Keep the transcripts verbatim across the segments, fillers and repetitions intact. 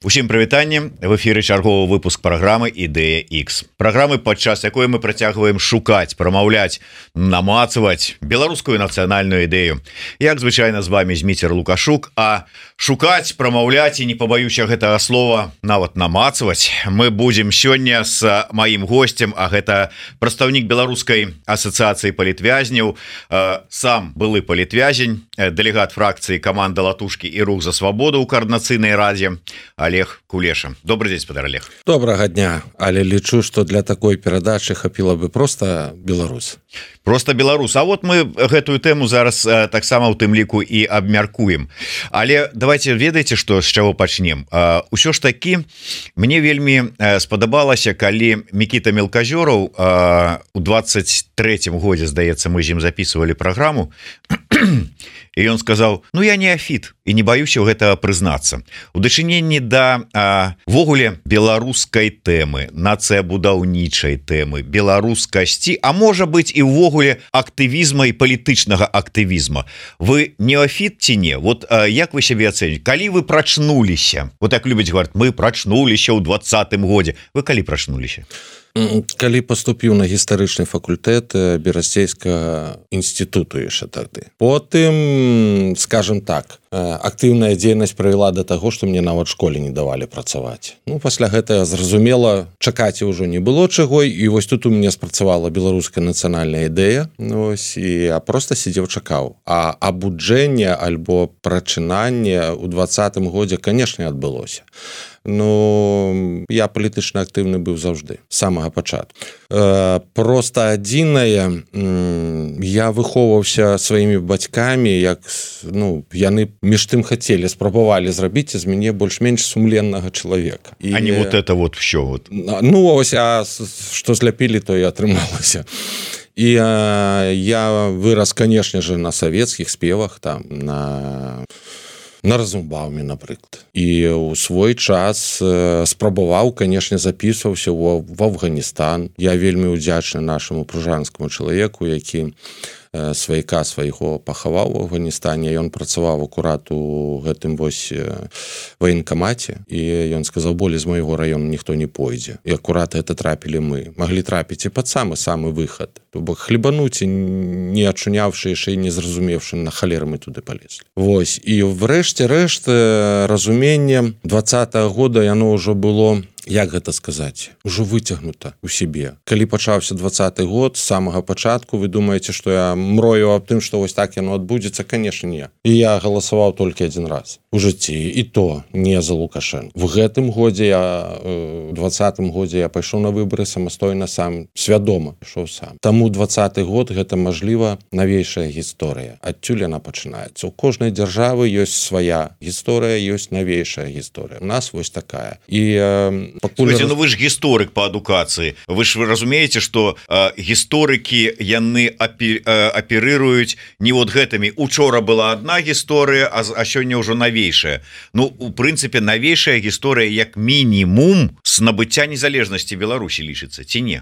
Усім прывітанне, в эфіры чарговы выпуск праграмы Ідэя Х. Праграмы, падчас якой мы працягваем шукаць, прамаўляць, намацаваць беларускую нацыянальную ідэю. Як звычайна з вами Зміцер Лукашук, а шукаць, прамаўляць і не пабаюся гэтага слова нават намацаваць мы будзем сёння з маім госцем, а гэта прадстаўнік беларускай асацыяцыі палітвязняў, сам былы палітвязень, дэлегат фракцыі каманда Латушкі і рух за свабоду ў каардынацыйнай радзе Олег Кулеша. Добрый день, спадар Олег. Добрага дня, але лічу, што для такой перадачы хапіла бы просто беларус. Просто беларус. А вот мы гэтую тэму зараз таксама ў тым ліку і абмяркуем. Але давайте ведаеце, што з чаго пачнем. Усё ж такі мне вельмі спадабалася, калі Мікіта Мелказёраў у двадцать третьем годзе, здаецца, мы з ім записывалі праграму. І ён сказаў: ну я неафіт і не баюся ў гэта прызнацца. У дачыненні да ввогуле беларускай тэмы, нацыябудаўнічай тэмы, беларускасці, а можа быць і ўвогуле актывізма і палітычнага актывізма. Вы неафіт ці не? Вот як вы сябе ацэніце? Калі вы прачнуліся? Вот так любяць гаварыць, мы прачнуліся ў двадцатым годзе. Вы калі прачнуліся? Калі паступіў на гістарычны факультэт Берасцейскага інстытуту яшчэ тады. Потым, скажем так, актыўная дзейнасць правяла да таго, што мне нават школе не давалі працаваць. Ну, пасля гэтага, зразумела, чакаць ўжо не было чаго, і вось тут у мяне спрацавала беларуская нацыянальная ідэя, ось, і я проста сидзеў, чакаў. А абуджэнне альбо прачынанне ў двадцатым годзе, канешне, адбылося. Ну, я палітычна актыўны быў заўжды, з самага пачатку. Э, проста адзінае, я выхоўваўся сваімі бацькамі, як, ну, яны між тым хацелі, спрабавалі зрабіць з мяне больш-менш сумленнага чалавека. І, а не вот это вот всё вот. Ну, ось, а што зляпілі, то і атрымалася. І а, я вырас, канешне же, на савецкіх спевах, там, на... на Разумбаўме, напрыклад. І ў свой час э, спрабаваў, канешне, запісваўся ў, в Афганістан. Я вельмі ўдзячны нашаму пружанскаму чалавеку, які э, сваяка свайго пахаваў у Афганістане. Ён працаваў акурат у гэтым вось э, ваенкамаце, і ён сказаў: болей з майго раёну ніхто не пойдзе. І акурат гэта трапілі мы. Маглі трапіць і пад самы-самы выхад. То бок хлебануць, не ачуняўшы, яшчэ і не зразумеўшы, на халеры мы туды палезлі. Вось. І врэшце рэшт разуменне двадцатага года яно ўжо было, як гэта сказаць, ужо выцягнута ў сябе. Калі пачаўся двадцаты год, з самага пачатку вы думаеце, што я мрою аб тым, што вось так яно адбудзецца? Канешне, не. І я галасаваў толькі адзін раз у жыцці, і то не за Лукашенко. В гэтым годзе я, у двадцатым годзе я пайшоў на выбары самастойна сам, свядома ішоў сам. Таму двадцаты год гэта, мажліва, навейшая гісторыя. Адтуль яна пачынаецца. У кожнай дзяржавы ёсць свая гісторыя, ёсць навейшая гісторыя. У нас вось такая. І пакуль... Слушайте, ну вы ж гісторык па адукацыі. Вы ж вы разумееце, што э, гісторыкі яны апі, э, аперыруюць не вот гэтымі. Учора была одна гісторыя, а, а сёння ўжо навейшая. Ну, у прынцыпе, навейшая гісторыя як мінімум з набыцця незалежнасці Беларусі лічыцца, ці не?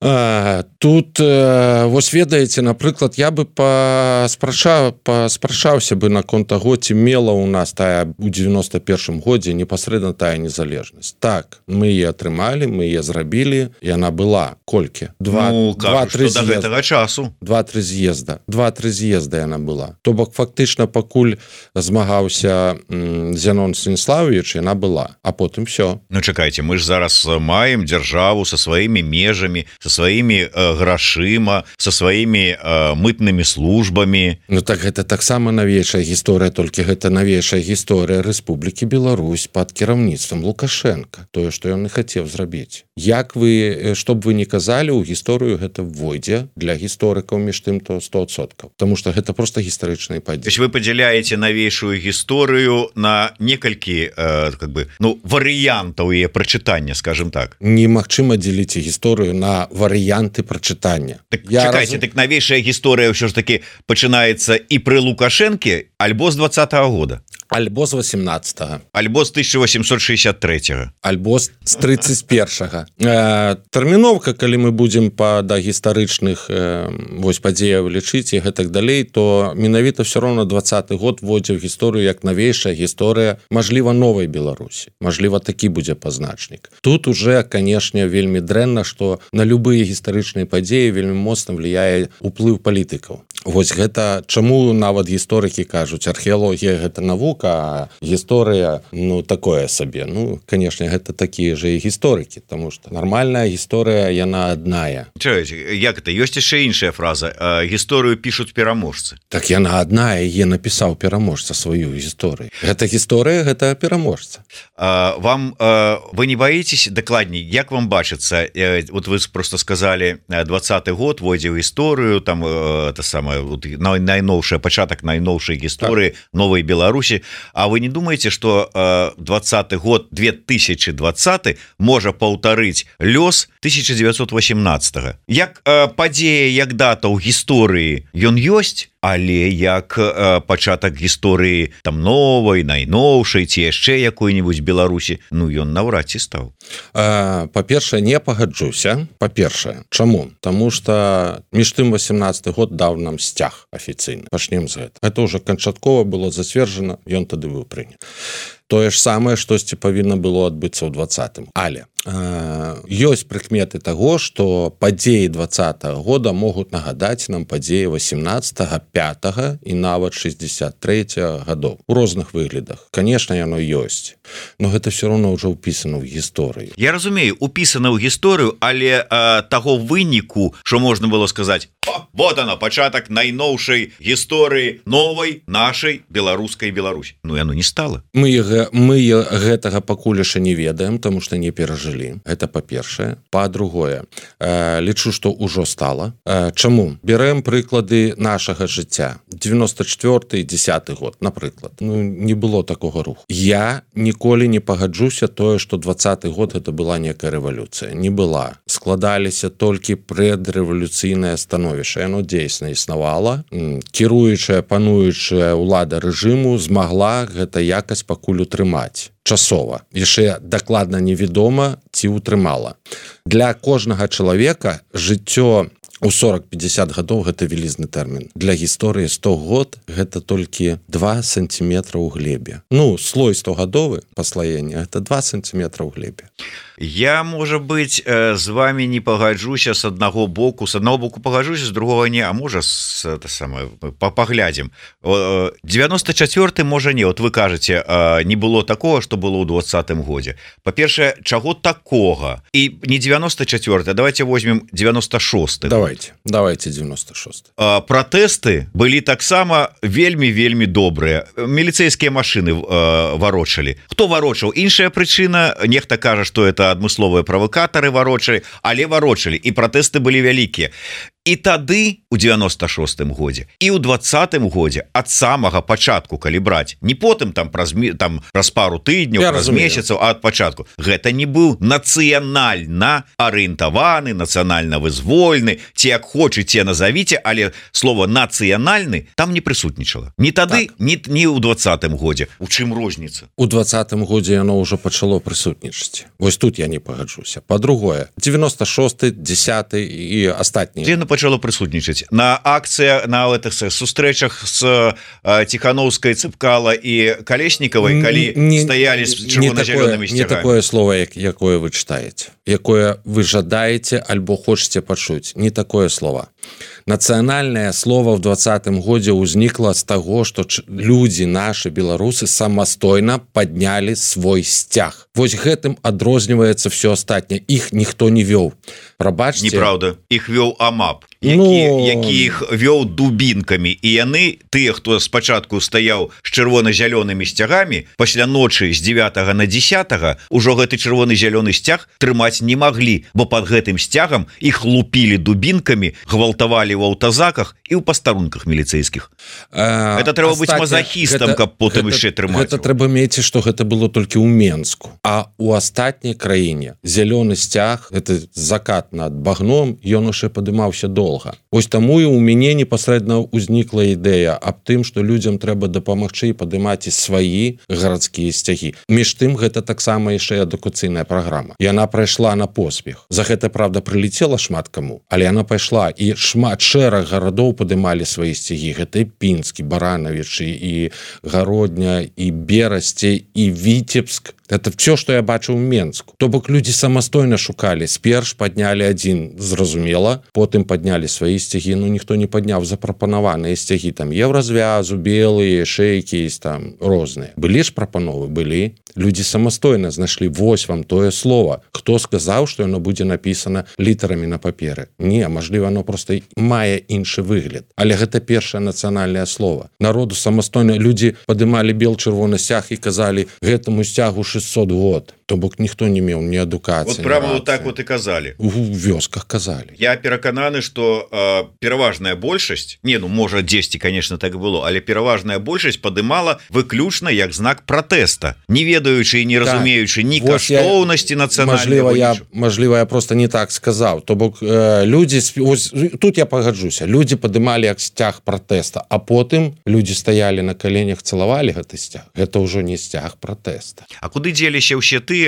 А, тут э, вось ведаеце, напрыклад, я бы паспрачаў, паспрачаўся бы наконт таго, ці мела ў нас тая у девяносто першым годзе непасрэдна тая незалежнасць. Так, мы яе атрымалі, мы яе зрабілі, і яна была колькі? Два, ну, два-тры з'езда. Да гэтага часу. Два-тры з'езда. Два-тры з'езда яна была. То бок, фактычна, пакуль змагаўся м, Зянон Станіславович, яна была. А потым всё. Ну, чакайце, мы ж зараз маем дзяржаву са сваімі межамі, са сваімі э, грашыма, са сваімі э, мытнымі службамі. Ну так гэта таксама навейшая гісторыя, толькі гэта навейшая гісторыя Рэспублікі Беларусь пад кіраўніцтвам Лукашенка. Тое, што ён і хацеў зрабіць. Як вы, што б вы не казалі, у гісторыю гэта ввойдзе для гісторыкаў між тым то сто адсоткаў. Таму што гэта проста гістарычныя падзеі. То есть вы падзяляеце навейшую гісторыю на некалькі э, как бы, ну, варыянтаў яе прачытання, скажем так. Немагчыма дзеліць гісторыю на варыянты прачытання. Так, чакайце, раз... так навейшая гісторыя ўсё ж таки пачынаецца і пры Лукашэнке альбо з двадцатага года. альбо з восемнадцатого, альбо з тысяча восемьсот шестьдесят третьего, альбо з тридцать первого. э, тэрміновка, калі мы будзем па да гістарычных э, вось падзеяў лічыць і гэтак далей, то менавіта все роўно двадцаты год вводзіў гісторыю як навейшая гісторыя, мажліва, новай Беларусі, мажліва, такі будзе пазначнік. Тут уже, канешне, вельмі дрэнна, што на любыя гістарычныя падзеі вельмі моцна влияе уплыў палітыкаў. Вось гэта чаму нават гісторыкі кажуць, археалогія гэта навука, а гісторыя, ну, такое сабе. Ну, канешне, гэта такія же і гісторыкі, таму што нармальная гісторыя, яна адная. Чуеце, як это? Ёсць яшчэ іншая фраза. Гісторыю пішуць пераможцы. Так яна адна, яе напісаў пераможца сваю гісторыю. Гэта гісторыя, гэта пераможца. А, вам, а, вы не боитесь, дакладней, як вам бачыцца, вот вы просто сказали, двадцаты год вводзіў гісторыю, там, это самое, вот, найноўшая, пачатак найноўшай гісторыі новай Беларусі, а вы не думаете, что двадцаты год две тысячи двадцаты можа паўтарыць лёс тысяча девятьсот восемнадцатого? Як падзея, як дата ў гісторыі ён ёсць, але як пачатак гісторыі там новай, найноўшай ці яшчэ якой-нибудь Беларусі, ну ён наўрад ці стаў. Па-першае, не пагаджуся. Па-першае, чаму? Таму што між тым восемнадцаты год даў нам сцяг афіцыйна. Пачнем з гэта. Гэта ўжо канчаткова было зацверджана, ён тады быў прынят. Тое ж самае, штосьці павінна было адбыцца ў двадцатым. Але э, ёсць прыкметы таго, што падзеі двадцатага года могуць нагадаць нам падзеі восемнадцатага, пятага і нават шестьдесят третьего гадоў. У розных выглядах. Конечно, яно ёсць. Но гэта все равно ўжо ўпісана ў гісторыю. Я разумею, упісана ў гісторыю, але э, таго выніку, што можна было сказаць, о, вот оно, пачатак найноўшай гісторыі новай нашай беларускай Беларусі. Ну, яно не стала. Мы мы гэтага пакуль яшчэ не ведаем, таму што не перажылі. Гэта па-першае. Па-другое, э, лічу, што ўжо стала. Э, чаму? Берем прыклады нашага жыцця. девяносто четвёрты десятый год, напрыклад. Ну, не было такога руху. Я ніколі не пагаджуся тое, што двадцаты год гэта была некая рэвалюцыя. Не была. Складаліся толькі предрэвалюцыйнае становішча. Яно дзейсна існавала. Кіруючая, пануючая ўлада рэжыму змагла гэта якасць пакуль утрымаць часова. Яшчэ дакладна невядома, ці ўтрымала. Для кожнага чалавека жыццё у сорок пятьдесят гадоў гэта вялізны тэрмін. Для гісторыі сто год гэта толькі два сантиметра ў глебе. Ну, слой стогадовы паслаення гэта два сантиметра ў глебе. Я, можа быть, з вами не пагаджуся с аднаго боку, с аднаго боку пагаджуся, з другого не, а можа с, это самое, паглядзім. девяносто четвёрты можа не, вот вы кажаце, не было такого, что было ў двадцатым годзе. Па-першае, чаго такога? І не девяносто четвёрты, давайте возьмем девяносто шосты. Давайте, давайте девяносто шосты. Пратэсты былі таксама вельмі-вельмі добрыя. Міліцэйскія машыны варочалі. Хто варочаў? Іншая прычына, нехта кажа, што это адмысловыя правакатары варочалі, але варочалі, і пратэсты былі вялікія. І тады у девяносто шостым годзе і ў двадцатым годзе ад самага пачатку, калі браць, не потым там праз, там, праз пару тыдняў, праз месяцаў, а ад пачатку, гэта не быў нацыянальна арыентаваны, нацыянальна вызвольны, ці як хочаце назавіце, але слово нацыянальны там не прысутнічала. Ні тады, так. ні, ні ў двадцатым годзе. У чым розніца? У двадцатым годзе яно ўжо пачало прысутнічаць. Вось тут я не пагаджуся. Па-другое, девяносто шосты, десятый і астатнія. Пачало прысутнічаць на акцыя, на гэтых сустрэчах з Ціхановскай, Цыпкала і Калеснікавай, калі не, стаялі з чырвона-зялёнымі сцягамі. Не такое слово, як, якое вы чытаеце, якое вы жадаеце альбо хочаце пачуць. Не такое слово. Нацыянальнае слово ў двадцатым годзе ўзнікла з таго, што людзі, нашы беларусы, самастойна паднялі свой сцяг. Вось гэтым адрозніваецца все астатняе. Іх ніхто не вёў. Прабачце. Неправда. Іх вёў АМАП, які, ну... які іх вёў дубінкамі. І яны, тыя, хто спачатку стаяў з чырвона-зялёнымі сцягамі, пасля ночы з девятага на десятага ўжо гэты чырвоны-зялёны сцяг трымаць не маглі, бо пад гэтым сцягам іх лупілі дубінкамі, гвалтавалі в аўтазаках і ў пастарунках міліцэйскіх. А, это трэба быць мазахістам, каб потым яшчэ трымаць. Гэта трэба мець, што гэта было толькі ў Менску. А ў астатняй краіне зялёны сцяг, это закат над багном, ён яшчэ падымаўся доўга. надолго. Вось таму і у мяне непасрэдна ўзнікла ідэя аб тым, што людзям трэба дапамагчы і падымаць і свае гарадскія сцягі. Між тым, гэта таксама яшчэ адукацыйная праграма. Яна прайшла на поспех. За гэта, правда, прылетела шмат каму, але яна пайшла, і шмат шэраг гарадоў падымалі свае сцягі. Гэта і Пінскі, Баранавічы, і Гародня, і Берасці, і Віцебск. Это все, что я бачу ў Менску. То бок людзі самастойна шукалі. Сперш паднялі адзін, зразумела, потым паднялі свае сцягі, ну ніхто не падняў запрапанаваныя сцягі, там еўразвязу, белыя, шейкі, там розныя. Былі ж прапановы, былі. Людзі самастойна знайшлі, вось вам тое слова. Хто сказаў, што яно будзе напісана літарамі на паперы? Не, мажліва, оно просто мае іншы выгляд. Але гэта першае нацыянальнае слово. Народу самастойна людзі падымалі бел-чырвоны сцяг і казалі, гэтаму сцягу шестьсот год. То бок ніхто не меў ні адукацыі. Вот прямо вот так вот і казалі. У вёсках казалі. Я перакананы, што э, пераважная большасць, не, ну можа дзесьці, конечно, так было, але пераважная большасць падымала выключна як знак пратэста, не ведаючы і не разумеючы ні каштоўнасці нацыянальнага. Я, мажліва, я просто не так сказаў. То бок э, людзі, ось, тут я пагаджуся, людзі падымалі як сцяг пратэста, а потым людзі стаялі на каленях, цалавалі гэты сцяг. Гэта ўжо не сцяг пратэста. А куды дзеліся ўсе тыя,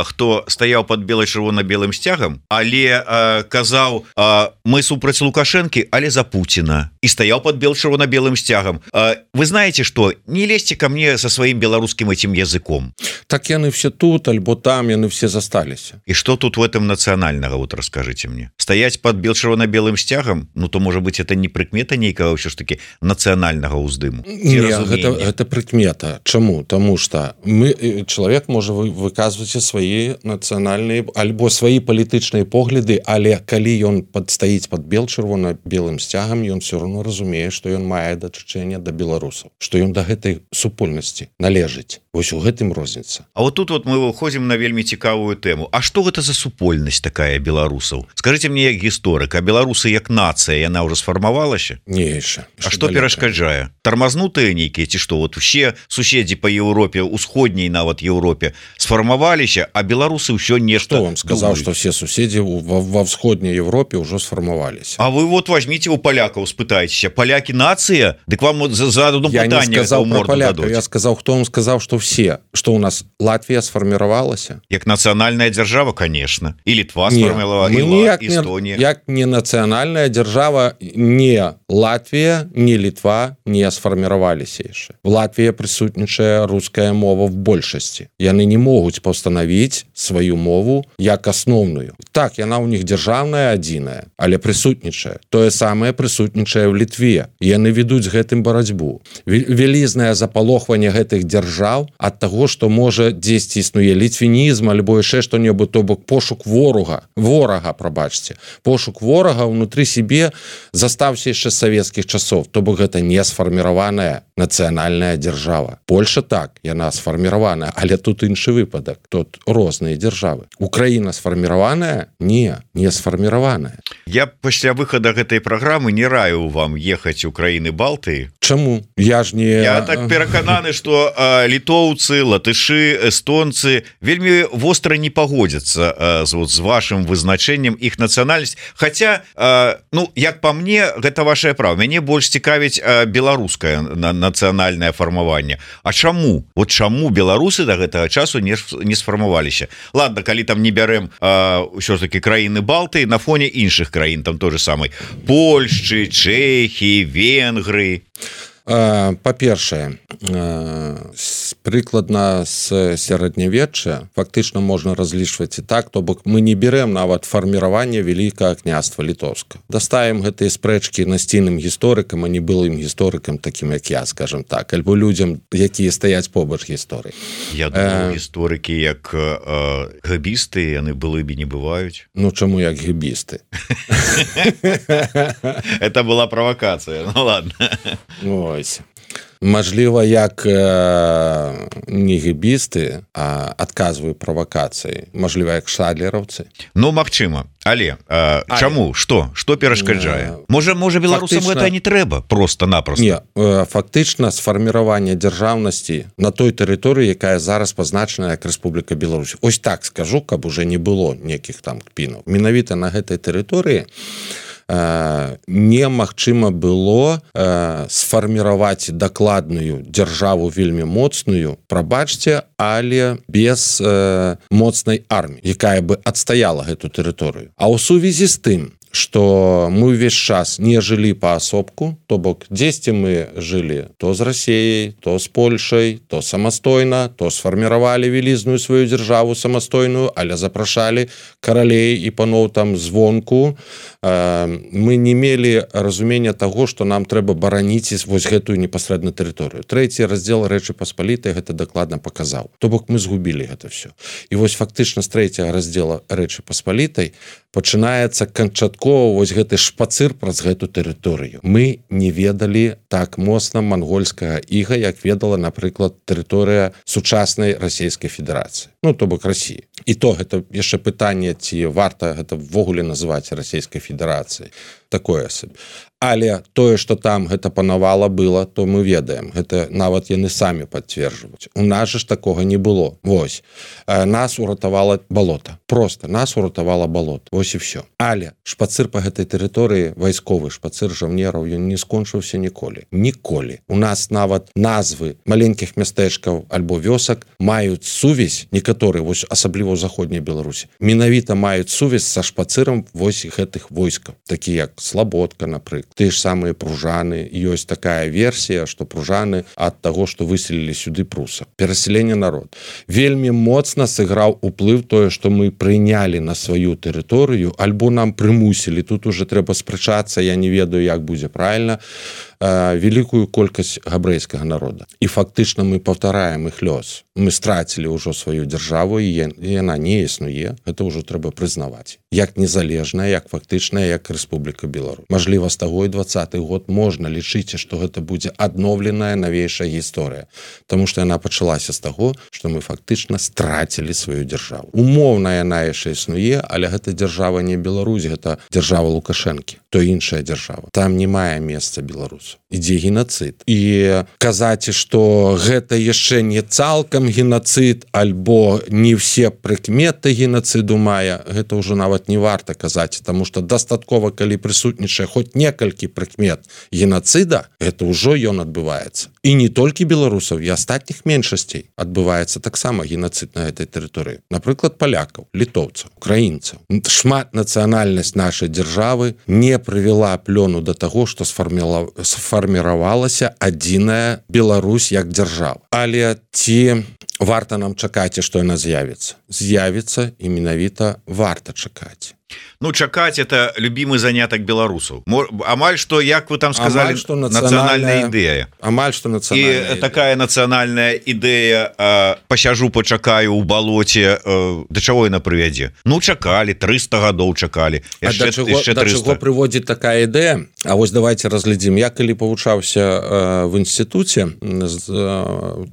хто стаяў под бело-чырвона-белым сцягам, але а, казаў, а, мы супраць Лукашэнкі, але за Пуціна, і стаяў под бело-чырвона-белым сцягам. А, вы знаете что, не лезьте ко мне со сваім беларускім этим языком. Так яны все тут, альбо там яны все засталіся. І что тут в этом нацыянальнага, вот расскажите мне. Стаять под бело-чырвона-белым сцягам, ну то может быть это не прыкмета нейкага ўсё ж таки нацыянальнага ўздыму. Не, гэта, гэта прыкмета. Чаму? Таму что мы, чалавек можа выказваць свае нацыянальныя альбо свае палітычныя погляды, але калі ён падстаіць под бел-чырвона-белым сцягам, ён все равно разумее, што ён мае дачыненне да беларусаў, што ён да гэтай супольнасці належыць. Вось у гэтым розніца. А вот тут вот мы выходзім на вельмі цікавую тэму. А што гэта за супольнасць такая беларусаў? Скажите мне як гісторык, а беларусы як нацыя, яна ўжо сфармавалася? Не яшчэ. А што перашкаджае? Тармазнутыя нейкія ці што? Вот усе суседзі па Еўропе, усходняй нават Еўропе сфармаваліся, а беларусы ўсё нешта. Хто вам сказаў, што все суседзі ва ўсходняй Еўропе ўжо сфармаваліся? А вы вот возьмите у палякаў, спытайцеся, палякі нацыя? Дык вам за одно пытанне ў морду дадуць. Я сказаў, хто вам сказаў, што все, што ў нас Латвія сфарміравалася? Як нацыянальная дзяржава, конечно. І Літва сфарміравала, і Эстонія. Як не нацыянальная дзяржава, не Латвія, не Літва не сфарміраваліся яшчэ. В Латвіі прысутнічае руская мова в большасці. Яны не могуць паўстанавіць сваю мову як асноўную. Так, яна ў них дзяржаўная адзіная, але прысутнічае. Тое самае прысутнічае ў Літве. Яны ведуць гэтым барацьбу. Вялізнае запалохванне гэтых дзяржаў ад таго, што можа дзесьці існуе літвінізм альбо яшчэ што-небудзь, то бок пошук ворага, ворага, прабачце. Пошук ворага ўнутры сябе застаўся яшчэ з савецкіх часоў, то бок гэта не сфарміраваная нацыянальная дзяржава. Польша так, яна сфарміраваная, але тут іншы выпадак. Тут розныя дзяржавы. Украіна сфарміраваная? Не, не сфарміраваная. Я пасля выхада гэтай праграмы не раю вам ехаць у краіны Балтыі. Чаму? Я ж не... Я так перакананы, што а, літоўцы, латышы, эстонцы вельмі востра не пагодзяцца а, з, вот, з вашым вызначэннем іх нацыянальнасць. Хаця, а, ну, як па мне, гэта вашае права. Мяне больш цікавіць а, беларускае на, нацыянальнае фармаванне. А чаму? Вот чаму беларусы да гэтага часу не, не сфармаваліся? Ладно, калі там не бярем а, ўсё ж таки краіны Балтыі на фоне іншых краін, там той же самай Польшчы, Чэхіі, Венгрыі. Па-першае, прыкладна з сярэднявечча фактычна можна разлічваць і так, то бок мы не берем нават фарміраванне Вялікага княства Літоўска. Дастаем гэтыя спрэчкі насційным гісторыкам, а не былым гісторыкам, такім як я, скажем так, альбо людзям, якія стаяць побач гісторыі. Я думаю, гісторыкі як гэбісты, яны былымі не бываюць. Ну, чаму як гэбісты? Это была правакацыя, ну ладно. Ось. Мажліва, як э, не гэбісты, а адказваю правакацыі. Мажліва, як шадлераўцы. Ну, магчыма. Але, э, але чаму? Што? Што перашкаджае? Можа, можа беларусам фактычна... гэта не трэба? Просто-напросто. Не, э, фактычна сфарміраванне дзяржаўнасці на той тэрыторыі, якая зараз пазначана як Рэспубліка Беларусь. Ось так скажу, каб уже не было некіх там кпінаў. Менавіта на гэтай тэрыторыі немагчыма было сфарміраваць дакладную дзяржаву вельмі моцную, прабачце, але без моцнай арміі, якая бы адстаяла гэту тэрыторыю. А ў сувязі з тым, што мы ўвесь час не жылі паасобку, то бок дзесьці мы жылі то з Расіяй, то з Польшай, то самастойна, то сфарміравалі вялізную сваю дзяржаву самастойную, але запрашалі каралей і паноў там звонку. Мы не мелі разумення таго, што нам трэба бараніць вось гэтую непасрэдна тэрыторыю. Трэці раздзел Рэчы Паспалітай гэта дакладна паказаў. То бок мы згубілі гэта ўсё. І вось фактычна з трэцяга раздзела Рэчы Паспалітай пачынаецца канчаткова вось гэты шпацыр праз гэту тэрыторыю. Мы не ведалі так моцна мангольскага іга, як ведала, напрыклад, тэрыторыя сучаснай Расійскай Федэрацыі. Ну, то бок Расіі. І то гэта яшчэ пытанне, ці варта гэта ввогуле называць Расійскай Федэрацыяй. Такое сабе. Але тое, што там гэта панавала было, то мы ведаем. Гэта нават яны самі пацверджваюць. У нас ж такога не было. Вось. Нас уратавала балота. Просто нас уратавала балота. Вось і ўсё. Але шпацыр па гэтай тэрыторыі, вайсковы шпацыр жаўнераў, ён не скончыўся ніколі. Ніколі. У нас нават назвы маленькіх мястэчкаў альбо вёсак маюць сувязь, некаторыя, вось асабліва ў заходняй Беларусі, менавіта маюць сувязь са шпацырам вось гэтых войскаў, такі як Слабодка, напрыклад. Тыя ж самыя пружаны. Ёсць такая версія, што пружаны ад таго, што выселілі сюды прусаў. Перасяленне народ. Вельмі моцна сыграў уплыў тое, што мы прынялі на сваю тэрыторыю, альбо нам прымусілі. Тут уже трэба спрачацца, я не ведаю, як будзе правільна, вялікую колькасць габрэйскага народа. І фактычна мы паўтараем іх лёс. Мы страцілі ўжо сваю дзяржаву, і яна не існуе. Гэта ўжо трэба прызнаваць. Як незалежная, як фактычная, як Рэспубліка Беларусь. Мажліва, з таго і дваццаты год можна лічыць, што гэта будзе адноўленая навейшая гісторыя. Таму што яна пачалася з таго, што мы фактычна страцілі сваю дзяржаву. Умоўна яна яшчэ існуе, але гэта дзяржава не Беларусь, гэта дзяржава Лукашэнкі, то іншая дзяржава. Там не мае месца беларусу. Ідзе генацыд. І казаць, што гэта яшчэ не цалкам генацыд, альбо не все прыкметы генацыду мае, гэта ўжо нават не варта казаць, таму што дастаткова, калі прысутнічае хоць некалькі прыкмет генацыда, гэта ўжо ён адбываецца. І не толькі беларусаў, і астатніх меншасцей адбываецца таксама генацыд на гэтай тэрыторыі. Напрыклад, палякаў, літоўцаў, украінцаў. Шматнацыянальнасць нашай дзяржавы не прывяла плёну да таго, што сфарміравалася адзіная Беларусь як дзяржава. Але ці варта нам чакаць, што яна з'явіцца? З'явіцца, і менавіта варта чакаць. Ну, чакаць это любімы занятак беларусаў. Амаль што, як вы там сказалі, нацыянальная ідэя. Амаль што нацыянальная ідэя. І такая нацыянальная ідэя, пасяжу, пачакаю ў балоце, да чаго яна прывядзе? Ну, чакалі, трыста гадоў чакалі. А да чаго прыводзіць такая ідэя? А вось давайте разглядзім. Я калі павучаўся в інстытуце,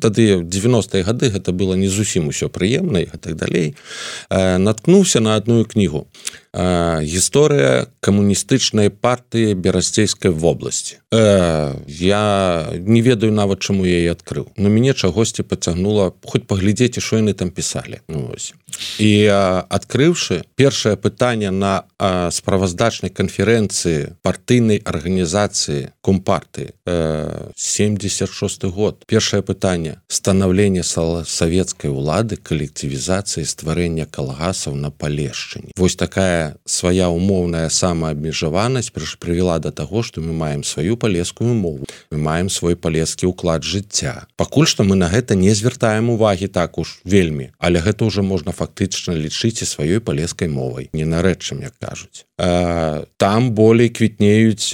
тады дзевяностыя гады, гэта было не зусім усё прыемна і так далей, наткнуўся на адную кнігу. Гісторыя камуністычнай партыі Берасцейскай вобласці. Э, я не ведаю нават, чаму я яе адкрыў. Но мяне чагосьці пацягнула, хоць паглядзеце, што яны там пісалі. Ну, ось. І а, адкрыўшы першае пытанне на а, справаздачнай канферэнцыі партыйнай арганізацыі Компартыі, э, семьдесят шосты год. Першае пытанне: станаўленне савецкай улады, калектывізацыі, стварэння калгасаў на Палешчыне. Вось такая свая умоўная самаабмежаванасць прывяла да таго, што мы маем сваю палескую мову, мы маем свой палескі ўклад жыцця. Пакуль што мы на гэта не звяртаем увагі так уж вельмі, але гэта ўжо можна фактычна лічыць і сваёй палескай мовай, не нарэчым, як кажуць. Там болей квітнеюць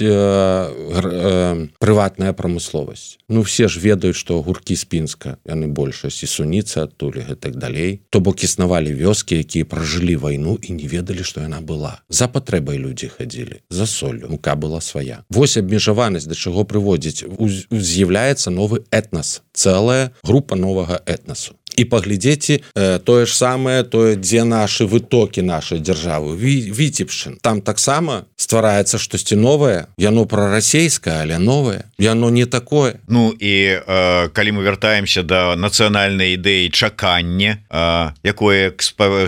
прыватная прамысловасць. Ну, все ж ведаюць, што гуркі з Пінска, яны большасць, і суніцы адтуль, і так далей. То бок існавалі вёскі, якія пражылі вайну і не ведалі, што яна была. За патрэбай людзі хадзілі, за соллю, мука была свая. Вось абмежаванасць да чаго прыводзіць. З'яўляецца новы этнас, цэлая група новага этнасу. і паглядзеце э, тое ж самае, тое, дзе нашы вытокі нашай дзяржавы, Віцебшчын. Там таксама ствараецца штосьці новае, яно прарасейскае, але новае, яно не такое. Ну і э, калі мы вяртаемся да нацыянальнай ідэі чакання, э, якое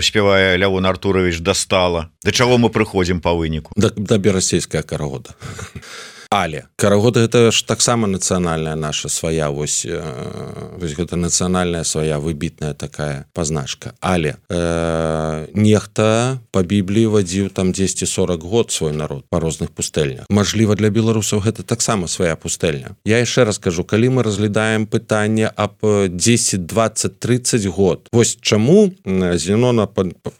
спявае Лявон Артурович Дастала, да чаго мы прыходзім па выніку? Да, да берасцейская карагода. Але карагода гэта ж таксама нацыянальная наша свая, вось, э, вось гэта нацыянальная свая выбітная такая пазначка. Але э, нехта па Бібліі вадзіў там дзесьці сорок год свой народ па розных пустэльнях. Мажліва, для беларусаў гэта таксама свая пустэльня. Я яшчэ раз кажу, калі мы разглядаем пытанне аб дзесяць, дваццаць, трыццаць год, вось чаму Зенона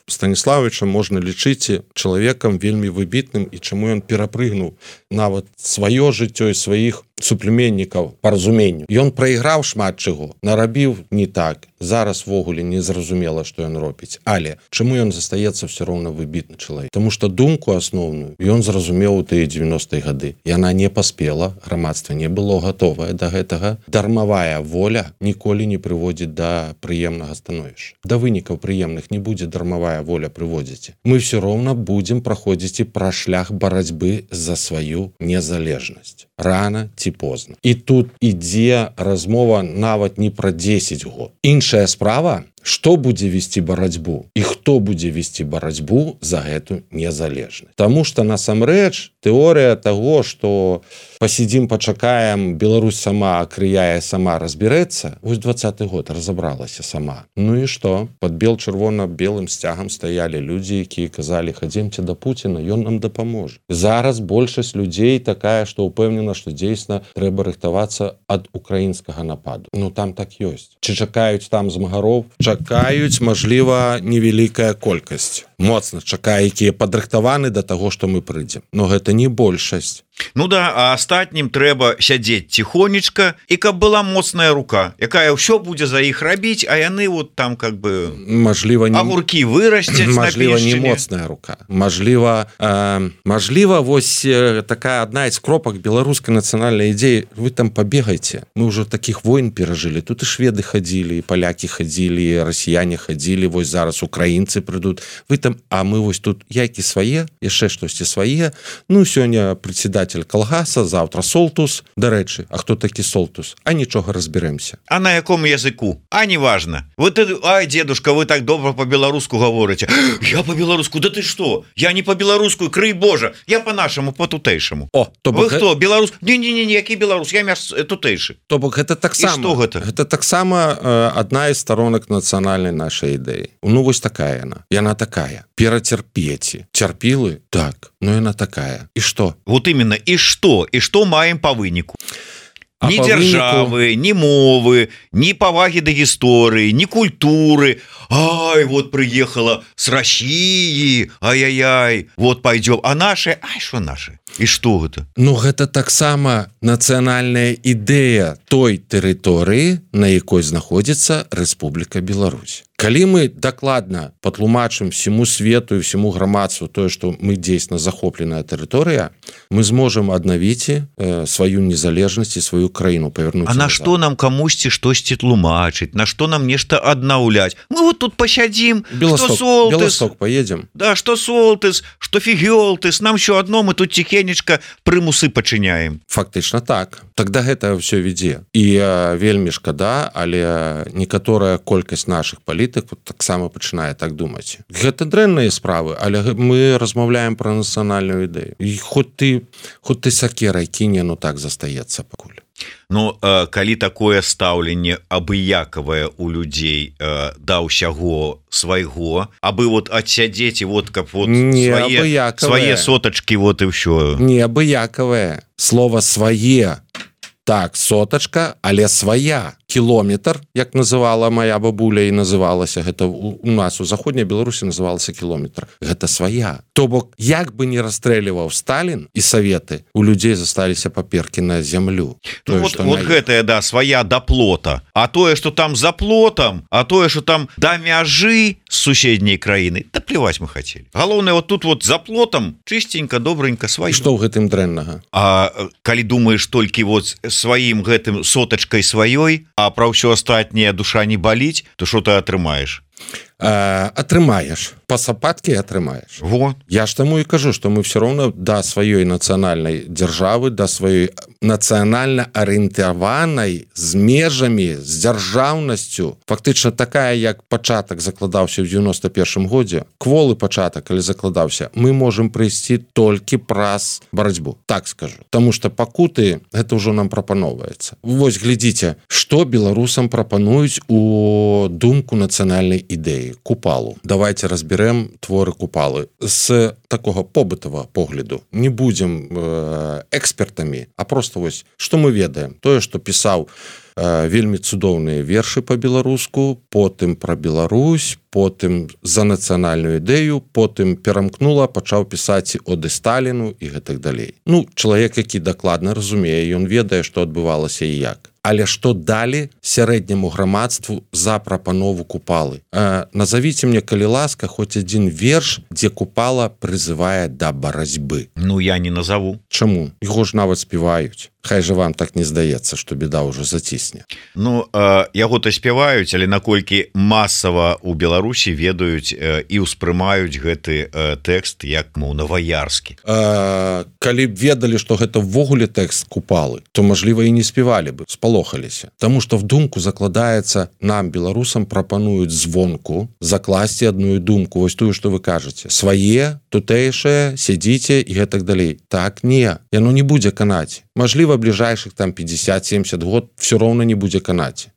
Станіславовича можна лічыць чалавекам вельмі выбітным і чаму ён перапрыгнуў нават сваё жыццё і сваіх суплеменнікаў па разуменню. Ён прайграў шмат чаго, нарабіў не так. Зараз ввогуле не зразумела, што ён робіць. Але чаму ён застаецца ўсё роўна выбітны чалавек? Таму што думку асноўную ён зразумеў у тыя дзевяностыя гады. Яна не паспела, грамадства не было гатовае да гэтага. Дармавая воля ніколі не прыводзіць да прыемнага становішча. Да вынікаў прыемных не будзе дармавая воля прыводзіць. Мы ўсё роўна будзем праходзіць і пра шлях барацьбы за сваю незалежнасць. Рана ці позна. І тут ідзе размова нават не пра дзесяць год. Іншая справа, што будзе весці барацьбу і хто будзе весці барацьбу за гэту незалежнасць. Таму што насамрэч тэорыя таго, што пасядзім, пачакаем, Беларусь сама акрыяе, сама разбярэцца, вось дваццаты год разабралася сама. Ну і што? Пад бел-чырвона-белым сцягам стаялі людзі, якія казалі: хадземце да Пуціна, ён нам дапаможа. Зараз большасць людзей такая, што ўпэўнена, што дзейсна трэба рыхтавацца ад украінскага нападу. Ну там так ёсць. Ці чакаюць там змагароў? Чакаюць, мажліва, невялікая колькасць. Моцна чакае, якія падрыхтаваны да таго, што мы прыйдзем. Но гэта не большасць. Ну да, а астатнім трэба сядзець ціхонечка, і каб была моцная рука, якая ўсё будзе за іх рабіць, а яны вот там как бы мажліва не... агуркі вырасцяць. Мажліва, не моцная рука. Мажліва, э, мажліва, вось э, такая адна з кропак беларускай нацыянальнай ідзеі. Вы там пабегайце. Мы ўжо такіх войн перажылі. Тут і шведы хадзілі, і палякі хадзілі, і расіяне хадзілі, вось зараз украінцы прыйдуць. Вы там, а мы вось тут яйкі свае, яшчэ штосьці свае. Ну, сёння председатель калгаса, завтра Солтус. Дарэчы, а хто такі Солтус? А нічога разберэмся. А на якому языку? А не важно. Вы ты, ай, дедушка, вы так добра по-беларуску говорите. Я по-беларуску? Да ты что? Я не по-беларуску, крый Божа. Я по-нашаму, по-тутэйшаму. О, то вы бок... хто? Беларус? Не-не-не, які беларус, я мяш тутэйшы. То бок гэта таксама. І што гэта? Гэта таксама э, адна з сторонак нацыянальнай нашай ідэі. Ну вось такая яна. Яна такая. Перацярпеці. Цярпілы? Так. Но яна такая. І што? Вот именно. І што? І што маем па выніку? А ні па дзяржавы, выніку... ні мовы, ні павагі да гісторыі, ні культуры. Ай, вот приехала с России, ай-яй-яй, вот пойдем. А наши, ай, что наши? І што гэта? Ну гэта таксама нацыянальная ідэя той тэрыторыі, на якой знаходзіцца Рэспубліка Беларусь. Калі мы дакладна патлумачым всему свету і всему грамадству тое, што мы дзейсна захопленая тэрыторыя, мы зможам аднавіць э, сваю незалежнасць і сваю краіну павярнуць. А на што нам камусьці штосьці тлумачыць? На што нам нешта аднаўляць? Мы вот тут пасядзім, Белосток, што Солтыс, Белосток поедем. Да, што Солтыс, што Фігёлтыс, нам ўсё адно, мы тут ціхенечка прымусы пачыняем. Фактычна так. Тогда гэта ўсё вядзе. І э, вельмі шкада, але некаторая колькасць нашых палітыкаў таксама пачынае так думаць. Гэта дрэнныя справы, але мы размаўляем пра нацыянальную ідэю. І хоць ты, хоць ты сакерай кіне, ну так застаецца пакуль. Ну, э, калі такое стаўленне абыякавае у людзей э, да ўсяго свайго, абы вот адсядзець і вот каб вот свае, свае сотачкі вот і ўсё. Не абыякавае. Слова свае. Так, сотачка, але свая. Кілометр, як называла моя бабуля і называлася, гэта у нас у заходняй Беларусі называлася кілометр. Гэта свая. То бок, як бы не расстрэльваў Сталін і саветы, у людзей засталіся паперкі на зямлю. Ну, тое, вот вот гэтая, да, свая да плота. А тое, што там за плотам, а тое, што там да мяжы з суседняй краіны, да плеваць мы хацелі. Галоўнае, вот тут вот за плотам чыстенька, добренька, сваё. Што ў гэтым дрэннага? А калі думаеш толькі вот сваім гэтым сотачкай сваёй, а пра ўсё астатняе душа не баліць, то што ты атрымаеш? Атрымаеш пасапаткі атрымаеш. Вот. Я ж таму і кажу, што мы все роўно да сваёй нацыянальнай дзяржавы, да сваёй нацыянальна арыентаванай з межамі, з дзяржаўнасцю, фактычна такая, як пачатак закладаўся ў дзевяноста першым годзе, кволы пачатак, калі закладаўся, мы можам прыйсці толькі праз барацьбу, так скажу. Таму што пакуты гэта ўжо нам прапаноўваецца. Вось глядзіце, што беларусам прапануюць у думку нацыянальнай ідэі Купалу. Давайте разберем творы Купалы з такога побытавага погляду. Не будзем э, экспертамі, а просто вось, што мы ведаем? Тое, што пісаў э, вельмі цудоўныя вершы па-беларуску, потым пра Беларусь, потым за нацыянальную ідэю, потым перамкнула, пачаў пісаць оды Сталіну і гэтак далей. Ну, чалавек, які дакладна разумее, ён ведае, што адбывалася і як. Але што далі сярэдняму грамадству за прапанову Купалы? Э, назовіце мне, калі ласка, хоць адзін верш, дзе Купала прызывае да барацьбы. Ну, я не назову. Чаму? Яго ж нават спяваюць. Хай жа вам так не здаецца, што беда ўжо зацісне. Ну, э, яго-то спяваюць, але наколькі масава ў Беларусі ведаюць э, і ўспрымаюць гэты э, тэкст як моўнаваярскі. Э, калі б ведалі, што гэта ўвогуле тэкст Купалы, то, мажліва, і не спявалі бы, спалохаліся. Таму што в думку закладаецца, нам, беларусам, прапануюць звонку закласці адную думку, вось тую, што вы кажаце. Свае, тутэйшае, сядзіце і гэтак далей. Так, не, яно не будзе канаць. Мажліва, бліжэйшых там пятьдесят-семьдесят год все роўна не будзе канаць.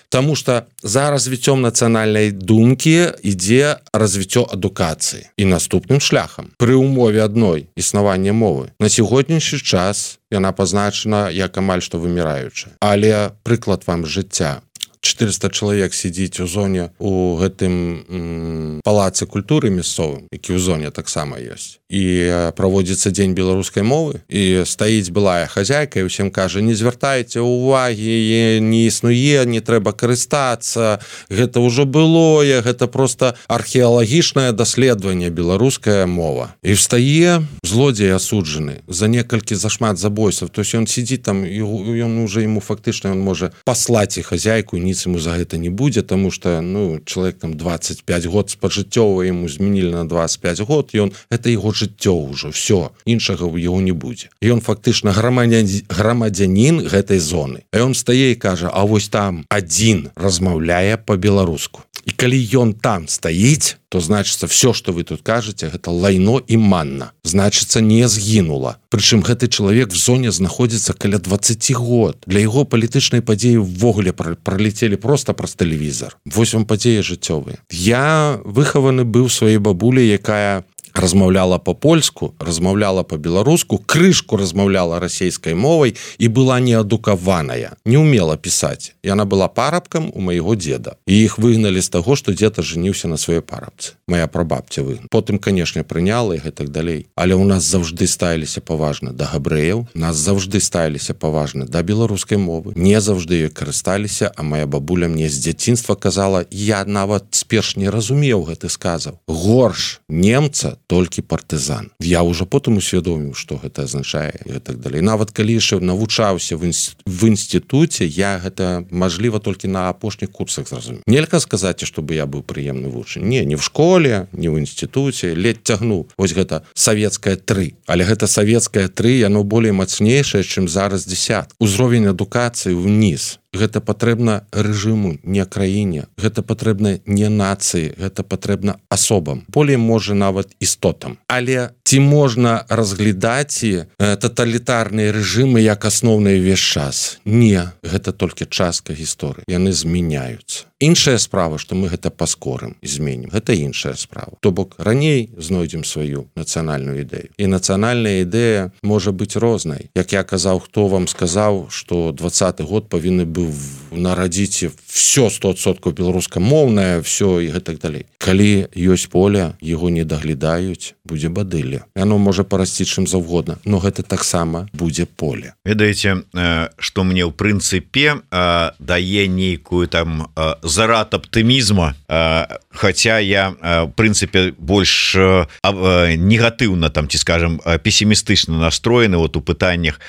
Таму што за развіццём нацыянальнай думкі ідзе развіццё адукацыі і наступным шляхам. Пры ўмове адной існавання мовы. На сягонняшні час яна пазначана як амаль што выміраючая. Але прыклад вам жыцця. четыреста чалавек сядзіць у зоне у гэтым м, палацы культуры мясцовым, які ў зоне таксама ёсць. І праводзіцца дзень беларускай мовы, і стаіць былая хазяйка і ўсім кажа, не звяртайце ўвагі, не існуе, не трэба карыстацца, гэта ўжо былое, гэта проста археалагічнае даследаванне беларуская мова. І встае злодзей асуджаны за некалькі зашмат забойстваў, то есть ён сидзіць там, і ён уже ему фактычна ён можа паслаць і хазяйку, ні ему за гэта не будзе, таму што ну чалавек там двадцать пять год спажыццёва ему змянілі на двадцать пять год, ён гэта яго жыццё ўжо, все, іншага ў яго не будзе. Ён фактычна грамадзянін, грамадзянін гэтай зоны. А ён стае і кажа, а вось там адзін размаўляе па-беларуску. І калі ён там стаіць, то значыцца все, што вы тут кажаце, гэта лайно і манна. Значыцца не згінула. Прычым гэты чалавек в зоне знаходзіцца каля двадцать год. Для яго палітычнай падзеі ўвогуле пролетелі просто праз тэлевізор. Вось вам падзеі жыццёвыя. Я выхаваны быў сваёй бабулі, якая размаўляла па-польску, размаўляла па-беларуску, крышку размаўляла расейскай мовай і была неадукаваная, не умела пісаць. Яна была парабкам у майго деда. І іх выгналі з таго, што дзед ажаніўся на сваёй парабцы. Моя прабабця выгнала. Потым, канешне, прыняла і гэтак далей. Але ў нас заўжды ставіліся паважна да габрэяў, нас заўжды ставіліся паважна да беларускай мовы. Не заўжды ёй карысталіся, а моя бабуля мне з дзяцінства казала, я нават сперш не разумеў гэты сказаў. Горш немца толькі партызан. Я ўжо потым усвядоміў, што гэта азначае і так далей. Нават калі яшчэ навучаўся в інстытуце, я гэта, мажліва, толькі на апошніх курсах зразумеў. Нельга сказаць, што бы я быў прыемны вучань. Не, не в школе, не ў інстытуце, ледь цягнуў. Вось гэта савецкае тры. Але гэта савецкае тры, яно болей мацнейшае, чым зараз дзесят. Узровень адукацыі ўніз. Гэта патрэбна рэжыму, не краіне. Гэта патрэбна не нацыі, гэта патрэбна асобам. Болей можа нават істотам. Але ці можна разглядаць э, таталітарныя рэжымы як асноўны ўвесь час? Не, гэта толькі частка гісторыі. Яны змяняюцца. Іншая справа, што мы гэта паскорым і зменім. Гэта іншая справа. То бок раней знойдзем сваю нацыянальную ідэю. І нацыянальная ідэя можа быць рознай. Як я казаў, хто вам сказаў, што двадцаты год павінны быў нарадзіць все сто адсоткаў беларускамоўнае, все і гэтак далей. Калі ёсць поле, яго не даглядаюць, будзе бадылля. Яно можа парасці чым заўгодна, но гэта таксама будзе поле. Ведаеце, што мне ў прынцыпе дае нейкую там зарад аптымізма, хаця я в прынцыпе больш негатыўна там, ці скажем, песімістычна настроены вот у пытаннях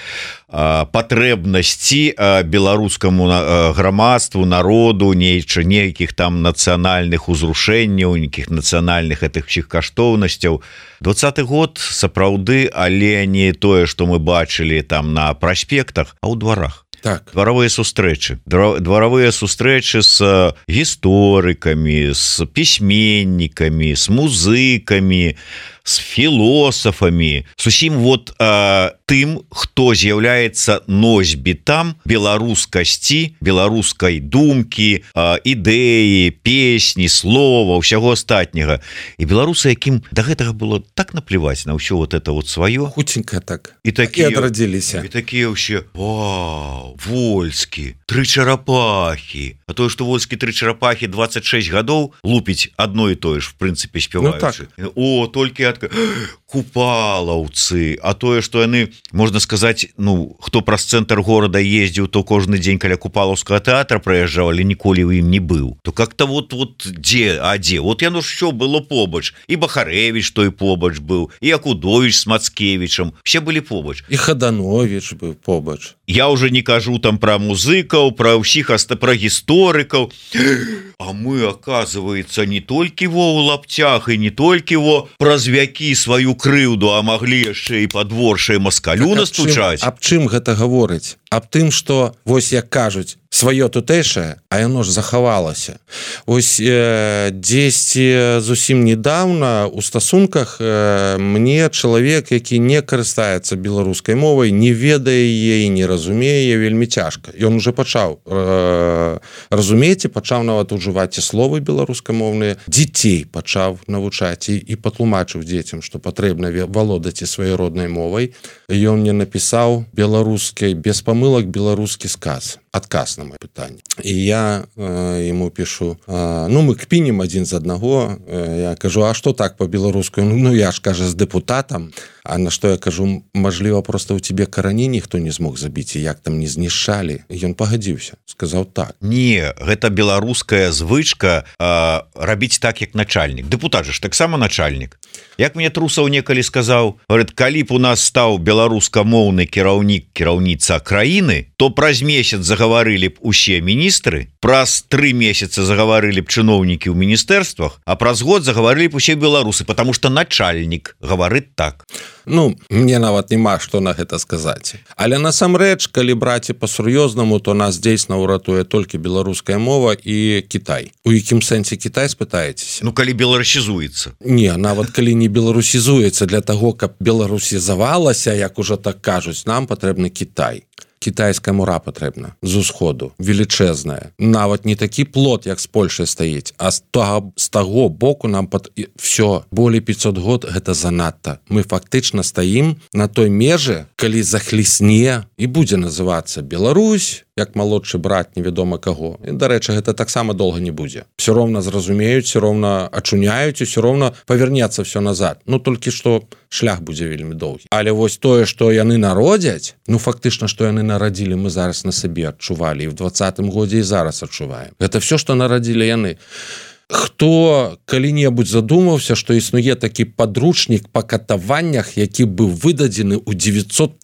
патрэбнасці беларускаму грамадству народу нейча нейкіх там нацыянальных узрушэнняў, нейкіх нацыянальных гэтых всіх каштоўнасцяў. Двадцаты год сапраўды, але не тое, што мы бачылі там на праспектах, а ў дварах. Так. Дваровыя сустрэчы, дваровыя сустрэчы з гісторыкамі, з пісьменнікамі, з музыкамі, з філосафамі, з усім вот э, тым, хто з'яўляецца носьбітам беларускасці, беларускай думкі, э, ідэі, песні, слова, ўсяго астатняга. І беларусы, якім да гэтага было так наплеваць на ўсё вот это вот сваё. Хутенька так. І такія адрадзіліся. І такія ўсе, вау, Вольскі, тры чарапахі. А тое, што Вольскі тры чарапахі двадцать шесть гадоў лупіць адно і тое ж, в прынцыпе, спяваючы. Ну, так. О, толькі купалаўцы, а тое, што яны, можна сказаць, ну, хто праз цэнтр горада ездзіў, то кожны дзень каля купалаўскага тэатра праязджаў, але ніколі ў ім не быў. То как-то вот, вот дзе, а дзе? Вот яно ж усё было побач. І Бахарэвіч той побач быў, і Акудовіч з Мацкевічам, все былі побач. І Хадановіч быў побач. Я уже не кажу там про музыкаў, про ўсіх, про гісторыкаў. А мы, оказывается, не толькі во ў лаптях і не толькі во праз вякі сваю крыўду, а маглі яшчэ і падворшай маскалю настучаць. Аб чым гэта гаворыць? Аб тым, што, вось як кажуць, сваё тутэйшае, а яно ж захавалася. Вось э, дзесьці зусім недавно у стасунках э, мне чалавек, які не карыстаецца беларускай мовай, не ведае яе, не разумее, вельмі цяжка. Ён уже пачаў э, разумець і пачаў нават ужываць і словы беларускамоўныя, дзяцей пачаў навучаць і, і патлумачыў дзецям, што патрэбна валодаць і сваёй роднай мовай. Ён мне напісаў беларускай без памылак беларускі сказ. Адказ на моё пытанне. І я э, ему пишу, э, ну мы кпінем адзін з аднаго, э, я кажу, а што так по-беларуску? Ну я ж, кажа, з дэпутатам, а на што я кажу, мажліва, просто ў тебе карані ніхто не змог забіць, і як там не знішчалі. І ён пагадзіўся, сказаў так. Не, гэта беларуская звычка э, рабіць так, як начальнік. Дэпутат же ж таксама начальнік. Як мне Трусаў некалі сказаў, говорит, калі б у нас стаў беларускамоўны кіраўнік, кіраўніца краіны, то праз месяц загаварылі б усе міністры, праз тры месяца загаварылі б чыноўнікі ў міністэрствах, а праз год загаварылі б усе беларусы, потому что начальнік гаварыць так. Ну, мне нават няма што на гэта сказаць. Але насамрэч, калі браць па-сур'ёзнаму, то нас дзейсна ўратуе толькі беларуская мова і Кітай. У якім сэнсе Кітай, спытаецеся? Ну, калі беларусізуецца. Не, нават калі не беларусізуецца, для таго, каб беларусізавалася, як ужо так кажуць, нам патрэбны Кітай. Кітайская мура патрэбна з усходу, велічэзная. Нават не такі плот, як з Польшай стаіць, а з таго, з таго боку нам пат... все, болей пятьсот год гэта занадта. Мы фактычна стаім на той межы, калі захлісне і будзе называцца Беларусь, як малодшы брат невядома каго. І, дарэчы, гэта таксама доўга не будзе. Все роўна зразумеюць, все роўна ачуняюць, і все роўна павернецца все назад. Ну, толькі што шлях будзе вельмі доўгі. Але вось тое, што яны народзяць, ну, фактычна, што яны нарадзілі, мы зараз на сабе адчувалі, і в двадцатым годзе і зараз адчуваем. Гэта все, што нарадзілі яны. Хто калі-небудзь задумаўся, што існуе такі падручнік па катаваннях, які быў выдадзены ў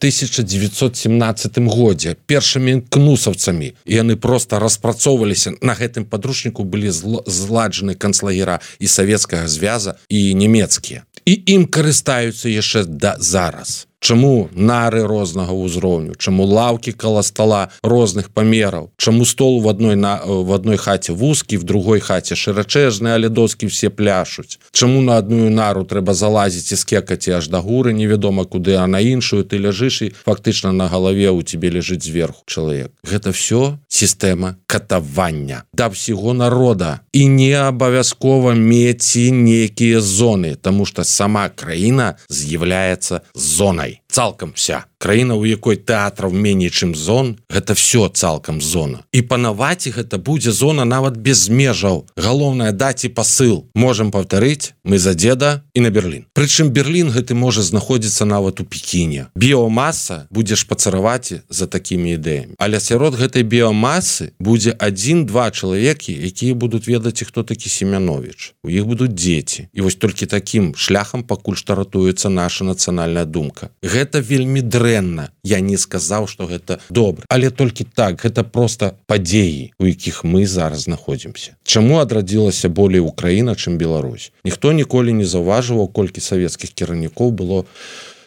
тысяча дзевяцьсот семнаццатым годзе першымі кнусаўцамі. І яны проста распрацоўваліся. На гэтым падручніку былі зладжаны канцлагера і Савецкага звяза, і нямецкія. І ім карыстаюцца яшчэ да зараз. Чаму нары рознага ўзроўню, чаму лаўкі каля стола розных памераў, чаму стол в адной, на, в адной хаце вузкі, в другой хаце шырачэжны, але доскі все пляшуць. Чаму на адную нару трэба залазіць і скекаць аж да гуры, невядома куды, а на іншую ты ляжыш і фактычна на галаве у тебе ляжыць зверху чалавек. Гэта все сістэма катавання да ўсяго народа. І не абавязкова мець нейкія зоны, таму што сама краіна з'яўляецца зонай. Цалкам вся. Краіна, у якой тэатраў меней, чым зон, гэта все цалкам зона. І панаваць гэта будзе зона нават без межаў. Галоўнае даць і пасыл. Можам паўтарыць, мы за дзеда і на Берлін. Прычым Берлін гэты можа знаходзіцца нават у Пекіне. Біомаса будзе шпацараваць за такімі ідэямі. Але сярод гэтай біомасы будзе адзін-два чалавекі, якія будуць ведаць, хто такі Семяновіч. У іх будуць дзеці. І вось толькі такім шляхам пакуль што ратуецца наша нацыянальная думка. гэта вельмі дрэнна. Я не сказаў, што гэта добра, але толькі так, гэта просто падзеі, у якіх мы зараз знаходзімся. Чаму адрадзілася болей Украіна, чым Беларусь? Ніхто ніколі не заўважваў, колькі савецкіх кіраўнікоў было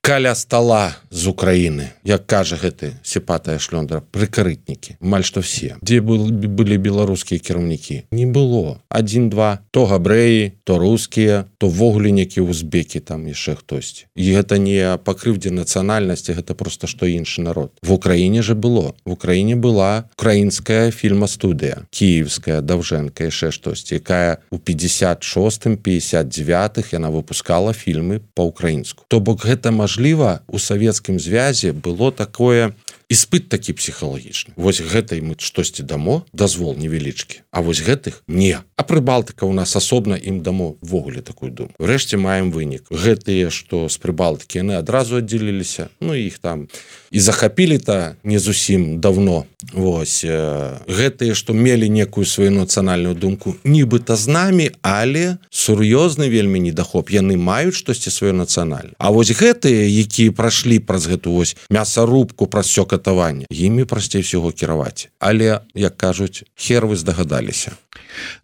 каля стола з Украіны, як кажа гэты сіпатая шлёндра, прыкарытнікі, амаль што все. Дзе былі беларускія кіраўнікі? Не было. Адзін-два, то габрэі, то рускія, то ввогуле некі узбекі, там яшчэ хтосьці. І гэта не па крыўдзе нацыянальнасці, гэта проста што іншы народ. В Украіне же было. В Украіне была украінская фільмастудыя, кіевская, Даўжэнка, яшчэ штосьці, якая у пятьдесят шостым пятьдесят девятых яна выпускала фільмы па-украінску. То бок гэта маж Мажліва, у савецкім звязе было такое іспыт такі псіхалагічны. Вось гэтай мы штосьці дамо, дазвол невялічкі, а вось гэтых не. А Прыбалтыка у нас асобна ім дамо ввогуле такую думку. Урэшце маем вынік. Гэтыя, што з Прыбалтыкі, яны адразу аддзеліліся, ну іх там і захапілі-то не зусім давно. Вось гэтыя, што мелі некую сваю нацыянальную думку, нібыта з намі, але сур'ёзны вельмі недахоп. Яны маюць штосьці сваё нацыянальнае. А вось гэтыя, якія прайшлі праз гэту вось мясарубку, праз всё катаванне, імі прасцей всего кіраваць. Але, як кажуць, хер вы здагадаліся.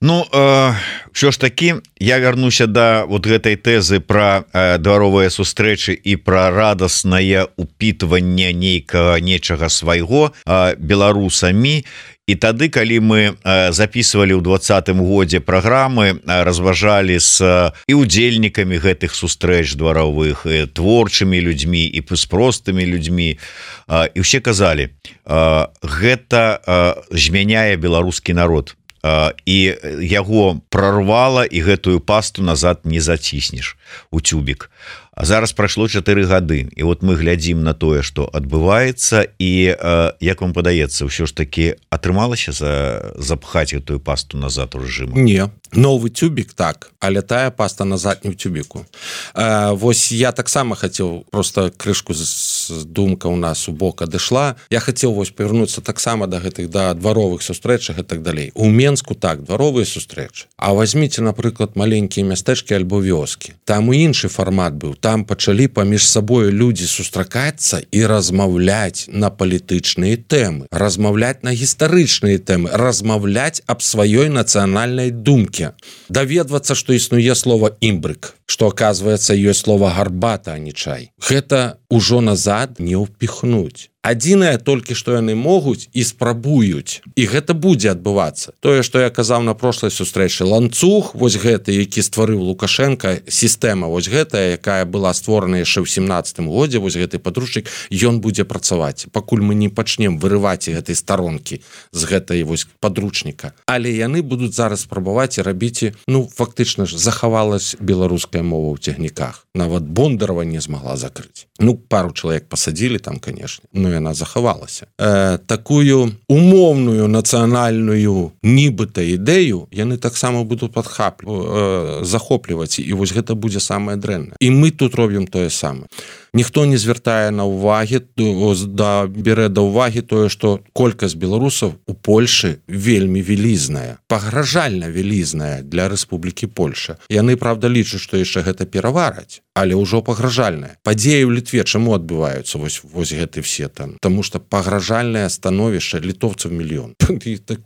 Ну, э, що ж такі, я вярнуся да вот гэтай тэзы пра э, дваровыя сустрэчы і пра радаснае упітванне нейкага нечага свайго э, беларусамі. І тады, калі мы записывалі ў двадцатым годзе праграмы, разважалі з і удзельнікамі гэтых сустрэч дваровых, і творчымі людзьмі і з простымі людзьмі, і ўсе казалі, гэта змяняе беларускі народ, і яго прорвала, і гэтую пасту назад не заціснеш у тюбік. А зараз прайшло чатыры гады, і вот мы глядзім на тое, што адбываецца, і э, як вам падаецца, ўсё ж таки атрымалася за, запхаць гэтую пасту назад у рэжыму? Не, новы тюбік так, але тая паста назад не ў тюбіку. Э, вось я таксама хацеў, просто крышку з думка у нас у бок адышла, я хацеў вось павярнуцца таксама да гэтых да дваровых сустрэчах і так далей. У Менску так, дваровыя сустрэчы. А возьмите, напрыклад, маленькія мястэчкі альбо вёскі. Там і іншы фармат быў. Там пачалі паміж сабою людзі сустракацца і размаўляць на палітычныя тэмы, размаўляць на гістарычныя тэмы, размаўляць аб сваёй нацыянальнай думке. Даведвацца, што існуе слова імбрык, што, оказывается, ёсць слова гарбата, а не чай. Гэта ўжо назад не ўпіхнуць. Адзінае толькі, што яны могуць і спрабуюць. І гэта будзе адбывацца. Тое, што я казаў на прошлай сустрэчы, ланцуг, вось гэты, які стварыў Лукашенко, сістэма вось гэтая, якая была створана яшчэ ў семнаццатым годзе, вось гэты падручнік, ён будзе працаваць. Пакуль мы не пачнем вырываць гэтай старонкі з гэтай вось падручніка. Але яны будуць зараз спрабаваць і рабіць, ну, фактычна ж, захавалась беларуская мова ў цягніках. Нават Бондарова не змагла закрыць. Ну, пару чалавек пасадзілі там, конечно, но яна захавалася. Э, такую умоўную нацыянальную нібыта ідэю яны таксама будуць падхаплю, э, захопліваць, і вось гэта будзе самае дрэннае. І мы тут робім тое самае. Ніхто не звяртае на ўвагі, да, бярэ да ўвагі тое, што колькасць беларусаў у Польшы вельмі вялізная, пагражальна вялізная для Рэспублікі Польша. Яны, правда, лічаць, што яшчэ гэта перавараць, але ўжо пагражальная. Падзеі ў Літве чаму адбываюцца вось, вось гэты все там? Таму што пагражальнае становішча літоўцаў мільён.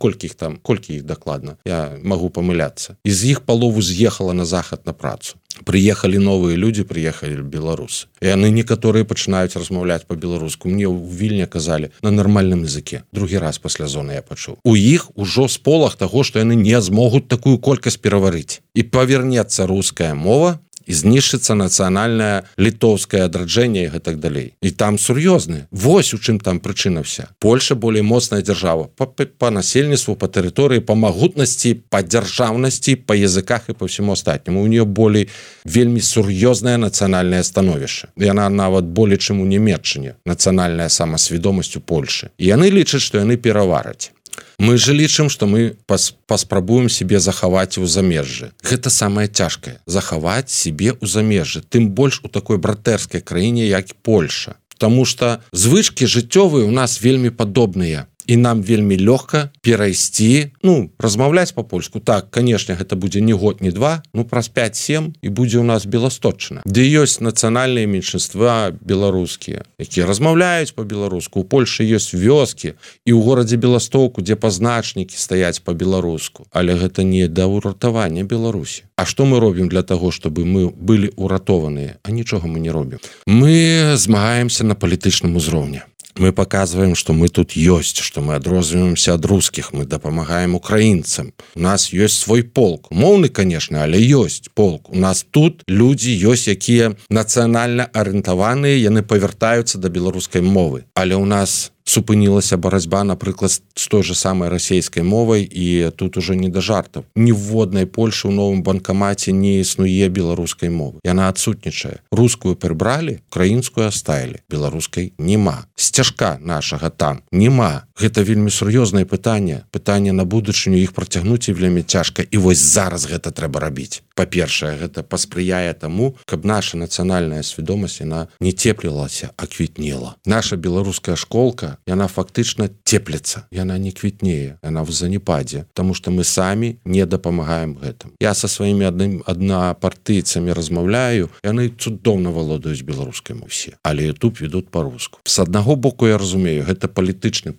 Колькі іх там, колькі іх дакладна? Я магу памыляцца. І з іх палову з'ехала на захад на працу. Прыехалі новыя людзі, прыехалі беларусы. І яны некаторыя пачынаюць размаўляць па-беларуску. Мне ў Вільні казалі на нармальным языке. Другі раз пасля зоны я пачуў. У іх ужо сполах таго, што яны не змогуць такую колькасць пераварыць. І павернецца руская мова, і знішчыцца нацыянальнае літоўскае адраджэнне і гэтак далей. І там сур'ёзны. Вось у чым там прычына вся. Польша болей моцная дзяржава па, па, па насельніцтву, па тэрыторыі, па магутнасці, па дзяржаўнасці, па языках і па ўсяму астатняму. У нее болей вельмі сур'ёзнае нацыянальнае становішча. Яна нават болей, чым у Нямецчыне. Нацыянальная самасвядомасць у Польшы. І яны лічаць, што яны перавараць. Мы же лічым, што мы пас, паспрабуем себе захаваць у замежжы. Гэта самае цяжкае. Захаваць себе ў замежжы. Тым больш у такой братэрскай краіне, як Польша. Таму што звычкі жыццёвыя ў нас вельмі падобныя. і нам вельмі лёгка перайсці, ну размаўляць по-польску. Так, конечно, гэта будзе не год, не два, ну праз пять-семь і будзе у нас Беласточчына, дзе ёсць нацыянальныя меншинства беларускія, якія размаўляюць по-беларуску. У Польшы ёсць вёскі і ў горадзе Беластоку, дзе пазначнікі стаяць по-беларуску, але гэта не да ўратавання Беларусі. А што мы робім для таго, чтобы мы былі ўратованыя? А нічога мы не робім. Мы змагаемся на палітычным узроўні. Мы показываем, что мы тут ёсць, что мы адрозніваемся ад русских, мы дапамагаем украінцам. У нас ёсць свой полк. Моўны, конечно, але ёсць полк. У нас тут людзі ёсць, якія нацыянальна арыентаваныя, яны павяртаюцца да беларускай мовы. Але у нас супынілася барацьба, напрыклад, з той же самай расійскай мовай, і тут уже не да жартаў. Ніводнай Польшы ў новым банкамаце не існуе беларускай мовы. Яна адсутнічае. Рускую прыбралі, украінскую аставілі, беларускай нема. Сцяжка нашага там нема. Гэта вельмі сур'ёзнае пытанне. Пытанне на будучыню, іх працягнуць і вельмі цяжка. І вось зараз гэта трэба рабіць. Па-першае, гэта паспрыяе таму, каб наша нацыянальная свядомасць яна не цеплілася, а квітнела. Наша беларуская школка, яна фактычна цеплецца, яна не квітнее, яна в занепадзе, таму што мы самі не дапамагаем гэтым. Я са сваімі адным аднапартыйцамі размаўляю, яны цудоўна валодаюць беларускай мовай усе, але YouTube ведуць па-руску. З аднаго боку, я разумею, гэта палітычны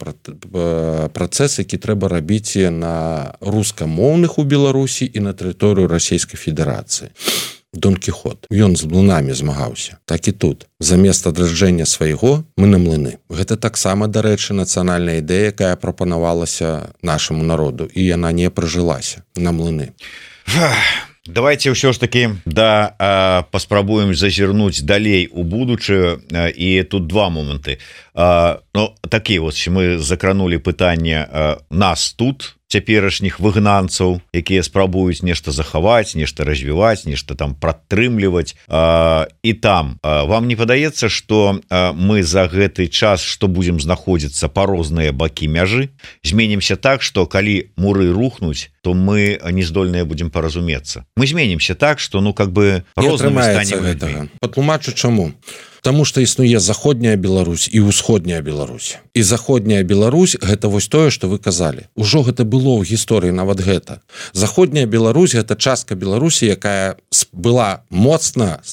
працэс, які трэба рабіць на рускамоўных у Беларусі і на тэрыторыю Расійскай Федэрацыі. Дон Кіхот, ён з млынамі змагаўся. Так і тут. Замест адраджэння свайго мы на млыны. Гэта таксама, дарэчы, нацыянальная ідэя, якая прапанавалася нашаму народу, і яна не прыжылася на млыны. Давайте ўсё ж таки да а, паспрабуем зазірнуць далей у будучую, а, і тут два моманты. А, ну, такія вот мы закранули пытанне а, нас тут, цяперашніх выгнанцаў, якія спрабуюць нешта захаваць, нешта развіваць, нешта там пратрымліваць. А, і там а, вам не падаецца, што а, мы за гэты час, што будзем знаходзіцца па розныя бакі мяжы, зменімся так, што калі муры рухнуць, то мы не здольныя будзем паразумецца. Мы зменімся так, што ну как бы рознымі станем. Патлумачу чаму. Таму што існуе заходняя Беларусь і ўсходняя Беларусь. І заходняя Беларусь гэта вось тое, што вы казалі. Ужо гэта было ў гісторыі нават гэта. Заходняя Беларусь гэта частка Беларусі, якая была моцна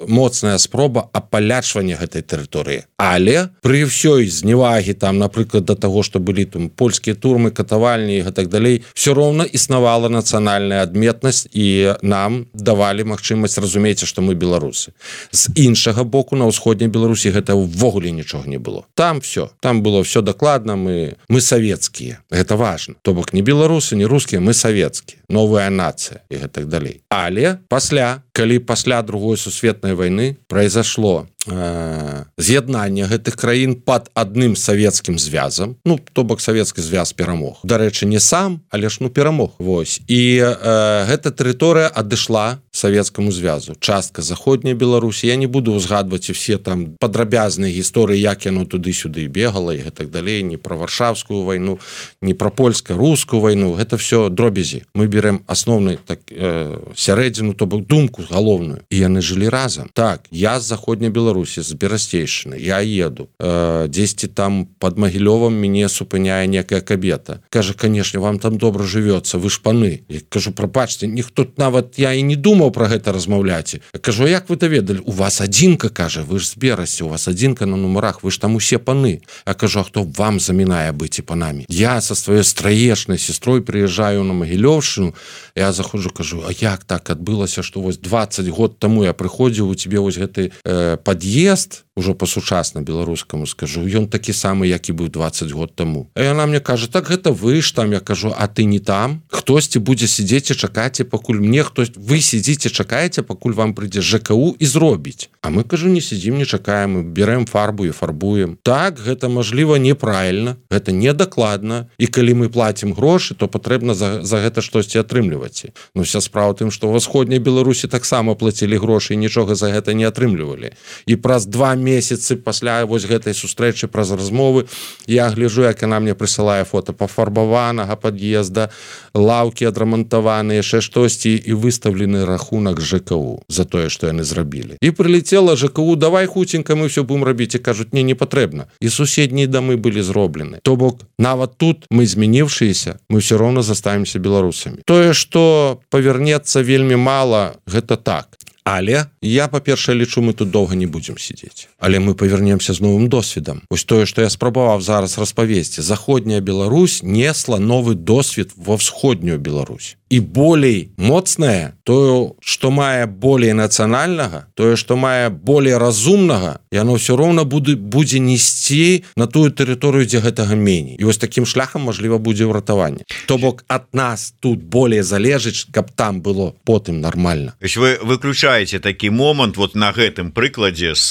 моцная спроба апалячвання гэтай тэрыторыі. Але пры ўсёй зневагі там, напрыклад, да таго, што былі там польскія турмы, катавальні і гэтак далей, все роўна існавала нацыянальная адметнасць і нам давалі магчымасць разумець, што мы беларусы. З іншага боку, на ўсходняй Беларусі гэта ўвогуле нічога не было. Там все, там было все дакладна, мы мы савецкія. Гэта важна. То бок не беларусы, не рускія, мы савецкія. Новая нацыя і гэтак далей. Але пасля, калі пасля другой сусветнай вайны произошло э, з'яднанне гэтых краін пад адным савецкім звязам, ну, то бок савецкі звяз перамог. Дарэчы, не сам, але ж ну перамог. Вось. І э, гэта тэрыторыя адышла савецкаму звязу. Частка заходняй Беларусі. Я не буду узгадваць все там падрабязныя гісторыі, як яно туды-сюды бегала і гэтак далей, не пра варшаўскую вайну, не пра польска-рускую вайну. Гэта все дробязі. Мы берем асноўны так, э, сярэдзіну, то бок думку галоўную. І яны жылі разам. Так, я з заходняй Беларусі, з Берасцейшчыны, я еду. Э, дзесьці там пад Магілёвам мяне супыняе некая кабета. Кажа, канешне, вам там добра жывецца, вы ж паны. Я кажу, прабачце, ніхто нават я і не думаў про гэта размаўляць. Я кажу, як вы даведалі? У вас адзінка, кажа, вы ж з Берасці, у вас адзінка на нумарах, вы ж там усе паны. Я кажу, а хто вам замінае быць і панамі? Я са сваёй страечнай сестрой прыязджаю на Магілёўшчыну, я заходжу, кажу, а як так адбылася, што вось двадцать год таму я прыходзіў, у тебе вось гэты э, пад'езд, ужо па-сучасна беларускаму скажу, ён такі самы, як і быў двадцать год таму. А яна мне кажа, так гэта вы ж там, я кажу, а ты не там? Хтосьці будзе сидзець і чакаць, пакуль мне хтось, вы сидзіце, чакаеце, пакуль вам прыйдзе ЖКУ і зробіць. А мы, кажу, не сидзім, не чакаем, мы берем фарбу і фарбуем. Так, гэта, мажліва, неправільна, гэта недакладна, і калі мы платім грошы, то патрэбна за, за гэта штосьці атрымліваць. Ну, вся справа тым, што ў Усходняй Беларусі таксама плацілі грошы і нічога за гэта не атрымлівалі. І праз два месяцы пасля вось гэтай сустрэчы праз размовы я гляджу, як яна мне прысылае фота пафарбаванага пад'езда, лаўкі адрамантаваныя, яшчэ штосьці, і выстаўлены рахунак ЖКУ за тое, што яны зрабілі. І прылетела ЖКУ, давай хуценька мы ўсё будем рабіць, і кажуць, не, не патрэбна. І суседнія дамы былі зроблены. То бок, нават тут мы змяніўшыеся, мы ўсё роўна заставімся беларусамі. Тое, што павернецца вельмі мала, гэта так. Але я, па-першае, лічу, мы тут доўга не будзем сидзець. Але мы павернемся з новым досведам. Вось тое, што я спрабаваў зараз распавесці. Заходняя Беларусь несла новы досвед ва ўсходнюю Беларусь. І болей моцнае, тое, што мае болей нацыянальнага, тое, што мае болей разумнага, яно ўсё роўна будзе, будзе несці на тую тэрыторыю, дзе гэтага меней. І вось такім шляхам, мажліва, будзе ўратаванне. То бок, ад нас тут болей залежыць, каб там было потым нармальна. Вы выключаете такі момант вот на гэтым прыкладзе з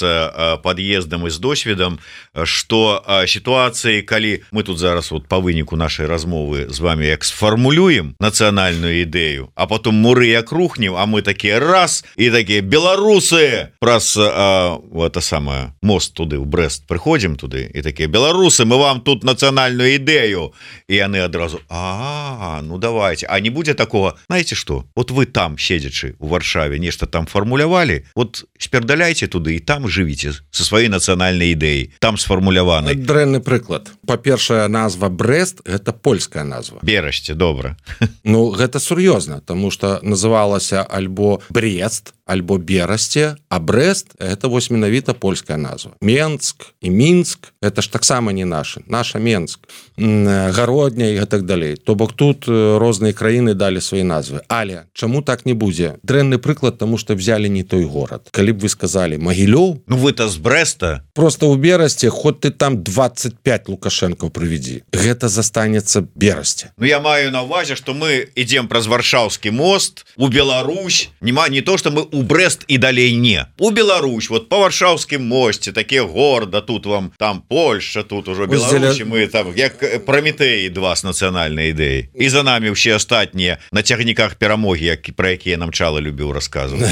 пад'ездам і з досведам, што сітуацыі, калі мы тут зараз вот па выніку нашай размовы з вами як сфармулюем нацыянальную ідэю, а потом муры як рухнем, а мы такія раз і такія беларусы праз это самое мост туды ў Брэст прыходзім туды і такія беларусы, мы вам тут нацыянальную ідэю, і яны адразу а ну давайте, а не будзе такого, знаете что, вот вы там седзячы у Варшаве нешта там формулявалі, вот спердаляйте туды і там жывіце со сваёй нацыянальнай ідэяй, там сфармуляваны. Дрэнны прыклад. Па-першае, назва Брэст гэта польская назва. Берашце, добра. Ну гэта сур'ёзна, тому што называлася альбо Брест, альбо Берасце, а Брэст это вось менавіта польская назва. Менск і Мінск это ж таксама не наша, наша Менск, Гародня і так далей. То бок тут розныя краіны далі свае назвы. Але чаму так не будзе? Дрэнны прыклад, тому што взяли не той горад. Калі б вы сказали Магілёў, ну вы-то з Брэста. Просто ў Берасце, хоць ты там двадцать пять Лукашенко прывядзі, гэта застанецца Берасце. Ну я маю на увазе, што мы ідзем праз Варшаўскі мост у Беларусь, нема не то, што мы у Брэст і далей не. У Беларусь, вот по Варшаўскім мосце, такія горда, тут вам там Польша, тут ужо Беларусь, мы там як Праметеі два з нацыянальнай ідэі. І за намі ўсе астатнія на цягніках перамогі, які пра якія нам Чала любіў расказваць.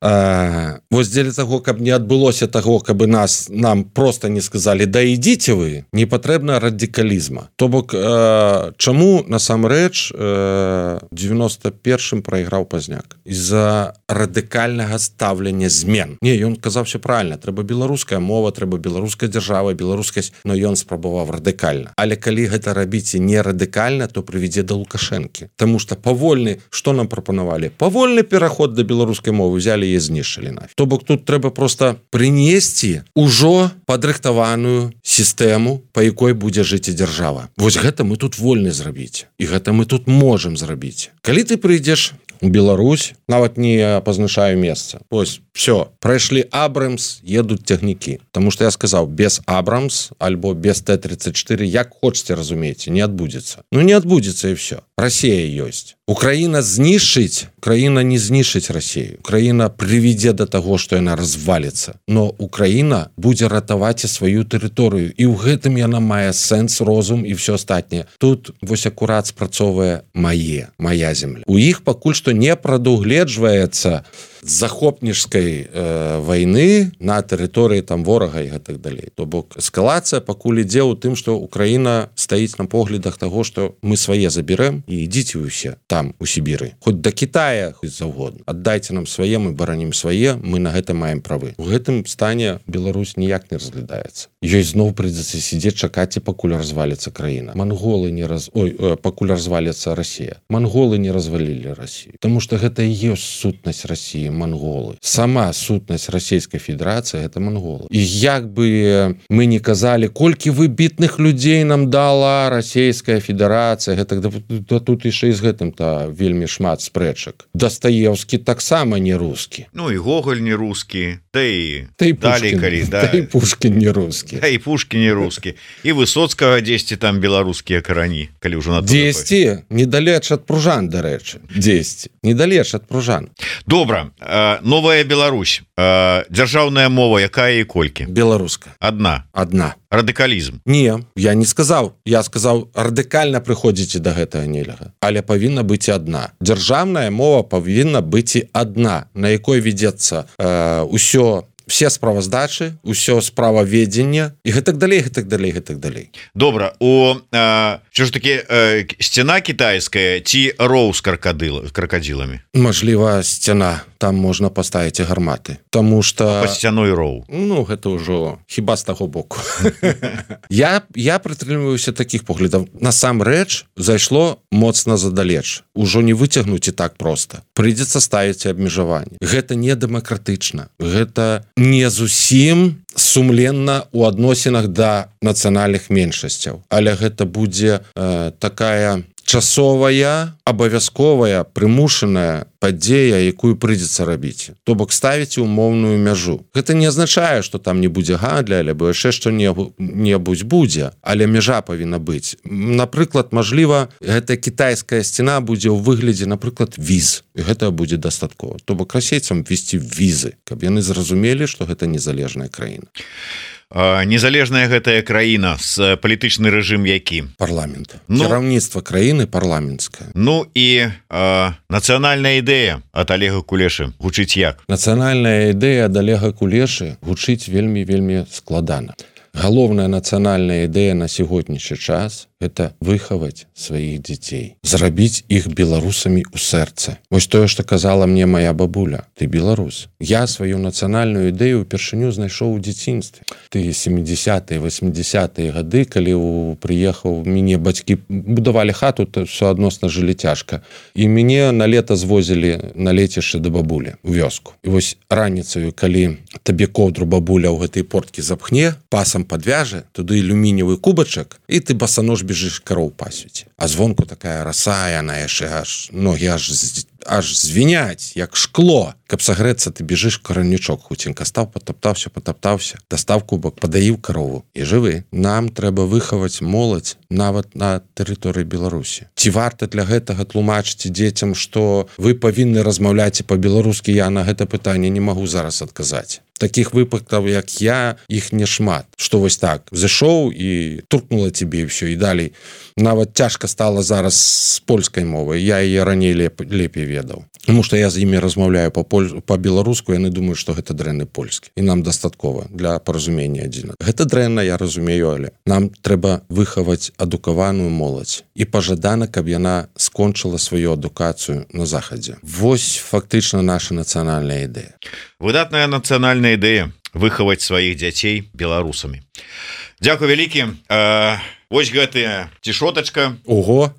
А, вось дзеля таго, каб не адбылося таго, каб нас нам просто не сказалі да ідзіце вы, не патрэбна радыкалізма. То бок э, чаму насамрэч э, девяносто першым прайграў Пазняк? З-за радыкальнага стаўлення змен. Не, ён казаў все правильно, трэба беларуская мова, трэба беларуская дзяржава, беларускасць, но ён спрабаваў радыкальна. Але калі гэта рабіце не радыкальна, то прывядзе да Лукашэнкі. Таму што павольны, што нам прапанавалі? Павольны пераход да беларускай мовы взяли і знішчылі нафиг. То бок тут трэба просто прынесці ўжо падрыхтаваную сістэму, па якой будзе жыць і дзяржава. Вось гэта мы тут вольны зрабіць. І гэта мы тут можам зрабіць. Калі ты прыйдзеш у Беларусь, нават не пазначаю месца. Вось, все, прайшлі Абрамс, едуць цягнікі. Таму што я сказаў, без Абрамс альбо без Т тридцать четыре, як хочаце, разумееце, не адбудзецца. Ну не адбудзецца і все. Расія ёсць. Украіна знішчыць, Украіна не знішчыць Расію. Украіна прывядзе да таго, што яна разваліцца. Но Украіна будзе ратаваць і сваю тэрыторыю. І ў гэтым яна мае сэнс, розум і все астатняе. Тут вось акурат спрацоўвае мае, мая земля. У іх пакуль што не прадугледжваецца захопніцкай э, вайны на тэрыторыі там ворага і гэтак далей. То бок эскалацыя пакуль ідзе ў тым, што Украіна стаіць на поглядах таго, што мы свае заберэм і ідзіце вы ўсе там у Сібіры. Хоць да Китая, хоць заўгодна. Аддайце нам свае, мы баранім свае, мы на гэта маем правы. У гэтым стане Беларусь ніяк не разглядаецца. Ёй зноў прыйдзецца сидзець чакаць, і пакуль разваліцца краіна. Манголы не раз... Ой, э, пакуль разваліцца Расія. Манголы не развалілі Расію. Таму што гэта і ёсць сутнасць Расіі. Монголы. Сама сутнасць Расійскай Федэрацыі это монголы. І як бы мы не казалі, колькі выбітных людзей нам дала Расійская Федэрацыя, гэта да, да тут яшчэ і з гэтым-то вельмі шмат спрэчак. Дастаеўскі таксама не рускі. Ну і Гоголь не рускі, да і далей калі, да. Да і Пушкін не рускі. Да і Пушкін не рускі. І Высоцкага дзесьці там беларускія карані, калі ўжо на дзесьці недалеч ад Пружан, дарэчы. дзесьці недалеч ад Пружан. Добра. Новая Беларусь. Дзяржаўная мова якая і колькі? Беларуска. Адна. Адна. Радыкалізм. Не, я не сказаў. Я сказаў, радыкальна прыходзіце да гэтага нельга. Але павінна быць адна. Дзяржаўная мова павінна быць і адна, на якой вядзецца э, ўсё все справаздачы, усё справаведзення і гэтак далей гэтак далей гэтак далей. Добра, у що ж таки сцяна кітайская ці роў з кракадыл кракадзіламі? Мажліва сцяна, там можна паставіць і гарматы, тому что па сцяной роў. Ну гэта ўжо хіба з таго боку. я я прытрымліваюся такіх поглядаў. Насамрэч зайшло моцна задалеч, ужо не выцягнуць і так проста, прыйдзецца ставіць абмежаванні. Гэта не дэмакратычна, гэта не зусім сумленна ў адносінах да нацыянальных меншасцяў, але гэта будзе э, такая часовая, абавязковая, прымушаная падзея, якую прыйдзецца рабіць. То бок ставіць умоўную мяжу. Гэта не азначае, што там не будзе гандля, альбо яшчэ што-небудзь будзе, але мяжа павінна быць. Напрыклад, мажліва, гэтая кітайская сцяна будзе ў выглядзе, напрыклад, віз. І гэта будзе дастаткова. То бок расейцам ввесці візы, каб яны зразумелі, што гэта незалежная краіна. Незалежная гэтая краіна з палітычны рэжым які? Парламент. Ну, кіраўніцтва краіны парламенцкае. Ну і э, нацыянальная ідэя ад Олега Кулешы гучыць як? Нацыянальная ідэя ад Олега Кулешы гучыць вельмі-вельмі складана. Галоўная нацыянальная ідэя на сягонняшні час – это выхаваць сваіх дзяцей, зрабіць іх беларусамі ў сэрцы. Вось тое, што казала мне мая бабуля: ты беларус. Я сваю нацыянальную ідэю ўпершыню знайшоў у дзяцінстве. Ты сямідзясятыя, васьмідзясятыя гады, калі ў, прыехаў, мяне бацькі будавалі хату, то суадносна жылі цяжка. І мяне на лета звозілі на лецішча да бабулі ў вёску. І вось раніцаю, калі табе коўдру бабуля ў гэтай порткі запхне, пасам падвяжа, туды алюмініевы кубачак, і ты басанож бежишь кароў пасвіць. А звонку такая раса, яна яшчэ аж ногі аж аж звіняць, як шкло. Каб сагрэцца, ты бежиш каранічок, хуценька стаў, патаптаўся, патаптаўся, дастаў кубак, падаіў карову і жывы. Нам трэба выхаваць моладзь нават на тэрыторыі Беларусі. Ці варта для гэтага тлумачыць дзецям, што вы павінны размаўляць па-беларускі? Я на гэта пытанне не магу зараз адказаць. Такіх выпадкаў, як я, іх не шмат. Што вось так, зашоў і туркнула цябе і ўсё, і далей. Нават цяжка стала зараз з польскай мовай. Я яе раней леп, лепей ведаў. Тому што я з імі размаўляю па-беларуску, яны думаюць, што гэта дрэнны польскі. І нам дастаткова для паразумення адзін. Гэта дрэнна, я разумею, але нам трэба выхаваць адукаваную моладзь. І пажадана, каб яна скончыла сваю адукацыю на захадзе. Вось фактычна наша нацыянальная ідэя. Выдатная нацыянальная ідэя выхаваць сваіх дзяцей беларусамі. Дзякуй вялікі. Вось гэтая цішотачка. Ого.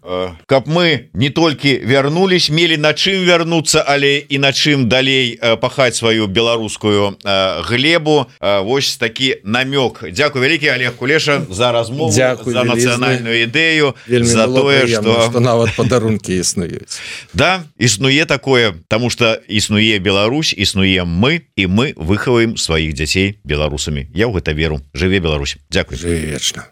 Каб мы не толькі вярнулись, мелі на чым вярнуцца, але і на чым далей пахаць сваю беларускую глебу. Вось такі намёк. Дзякуй вялікі, Олег Кулеша, за размову, Дзякуй, за нацыянальную ідэю, за тое, што... што нават падарункі існуюць. Да, існуе такое, таму што існуе Беларусь, існуем мы, і мы выхаваем сваіх дзяцей беларусамі. Я ў гэта веру. Жыве Беларусь. Дзякуй. Жыве вечна.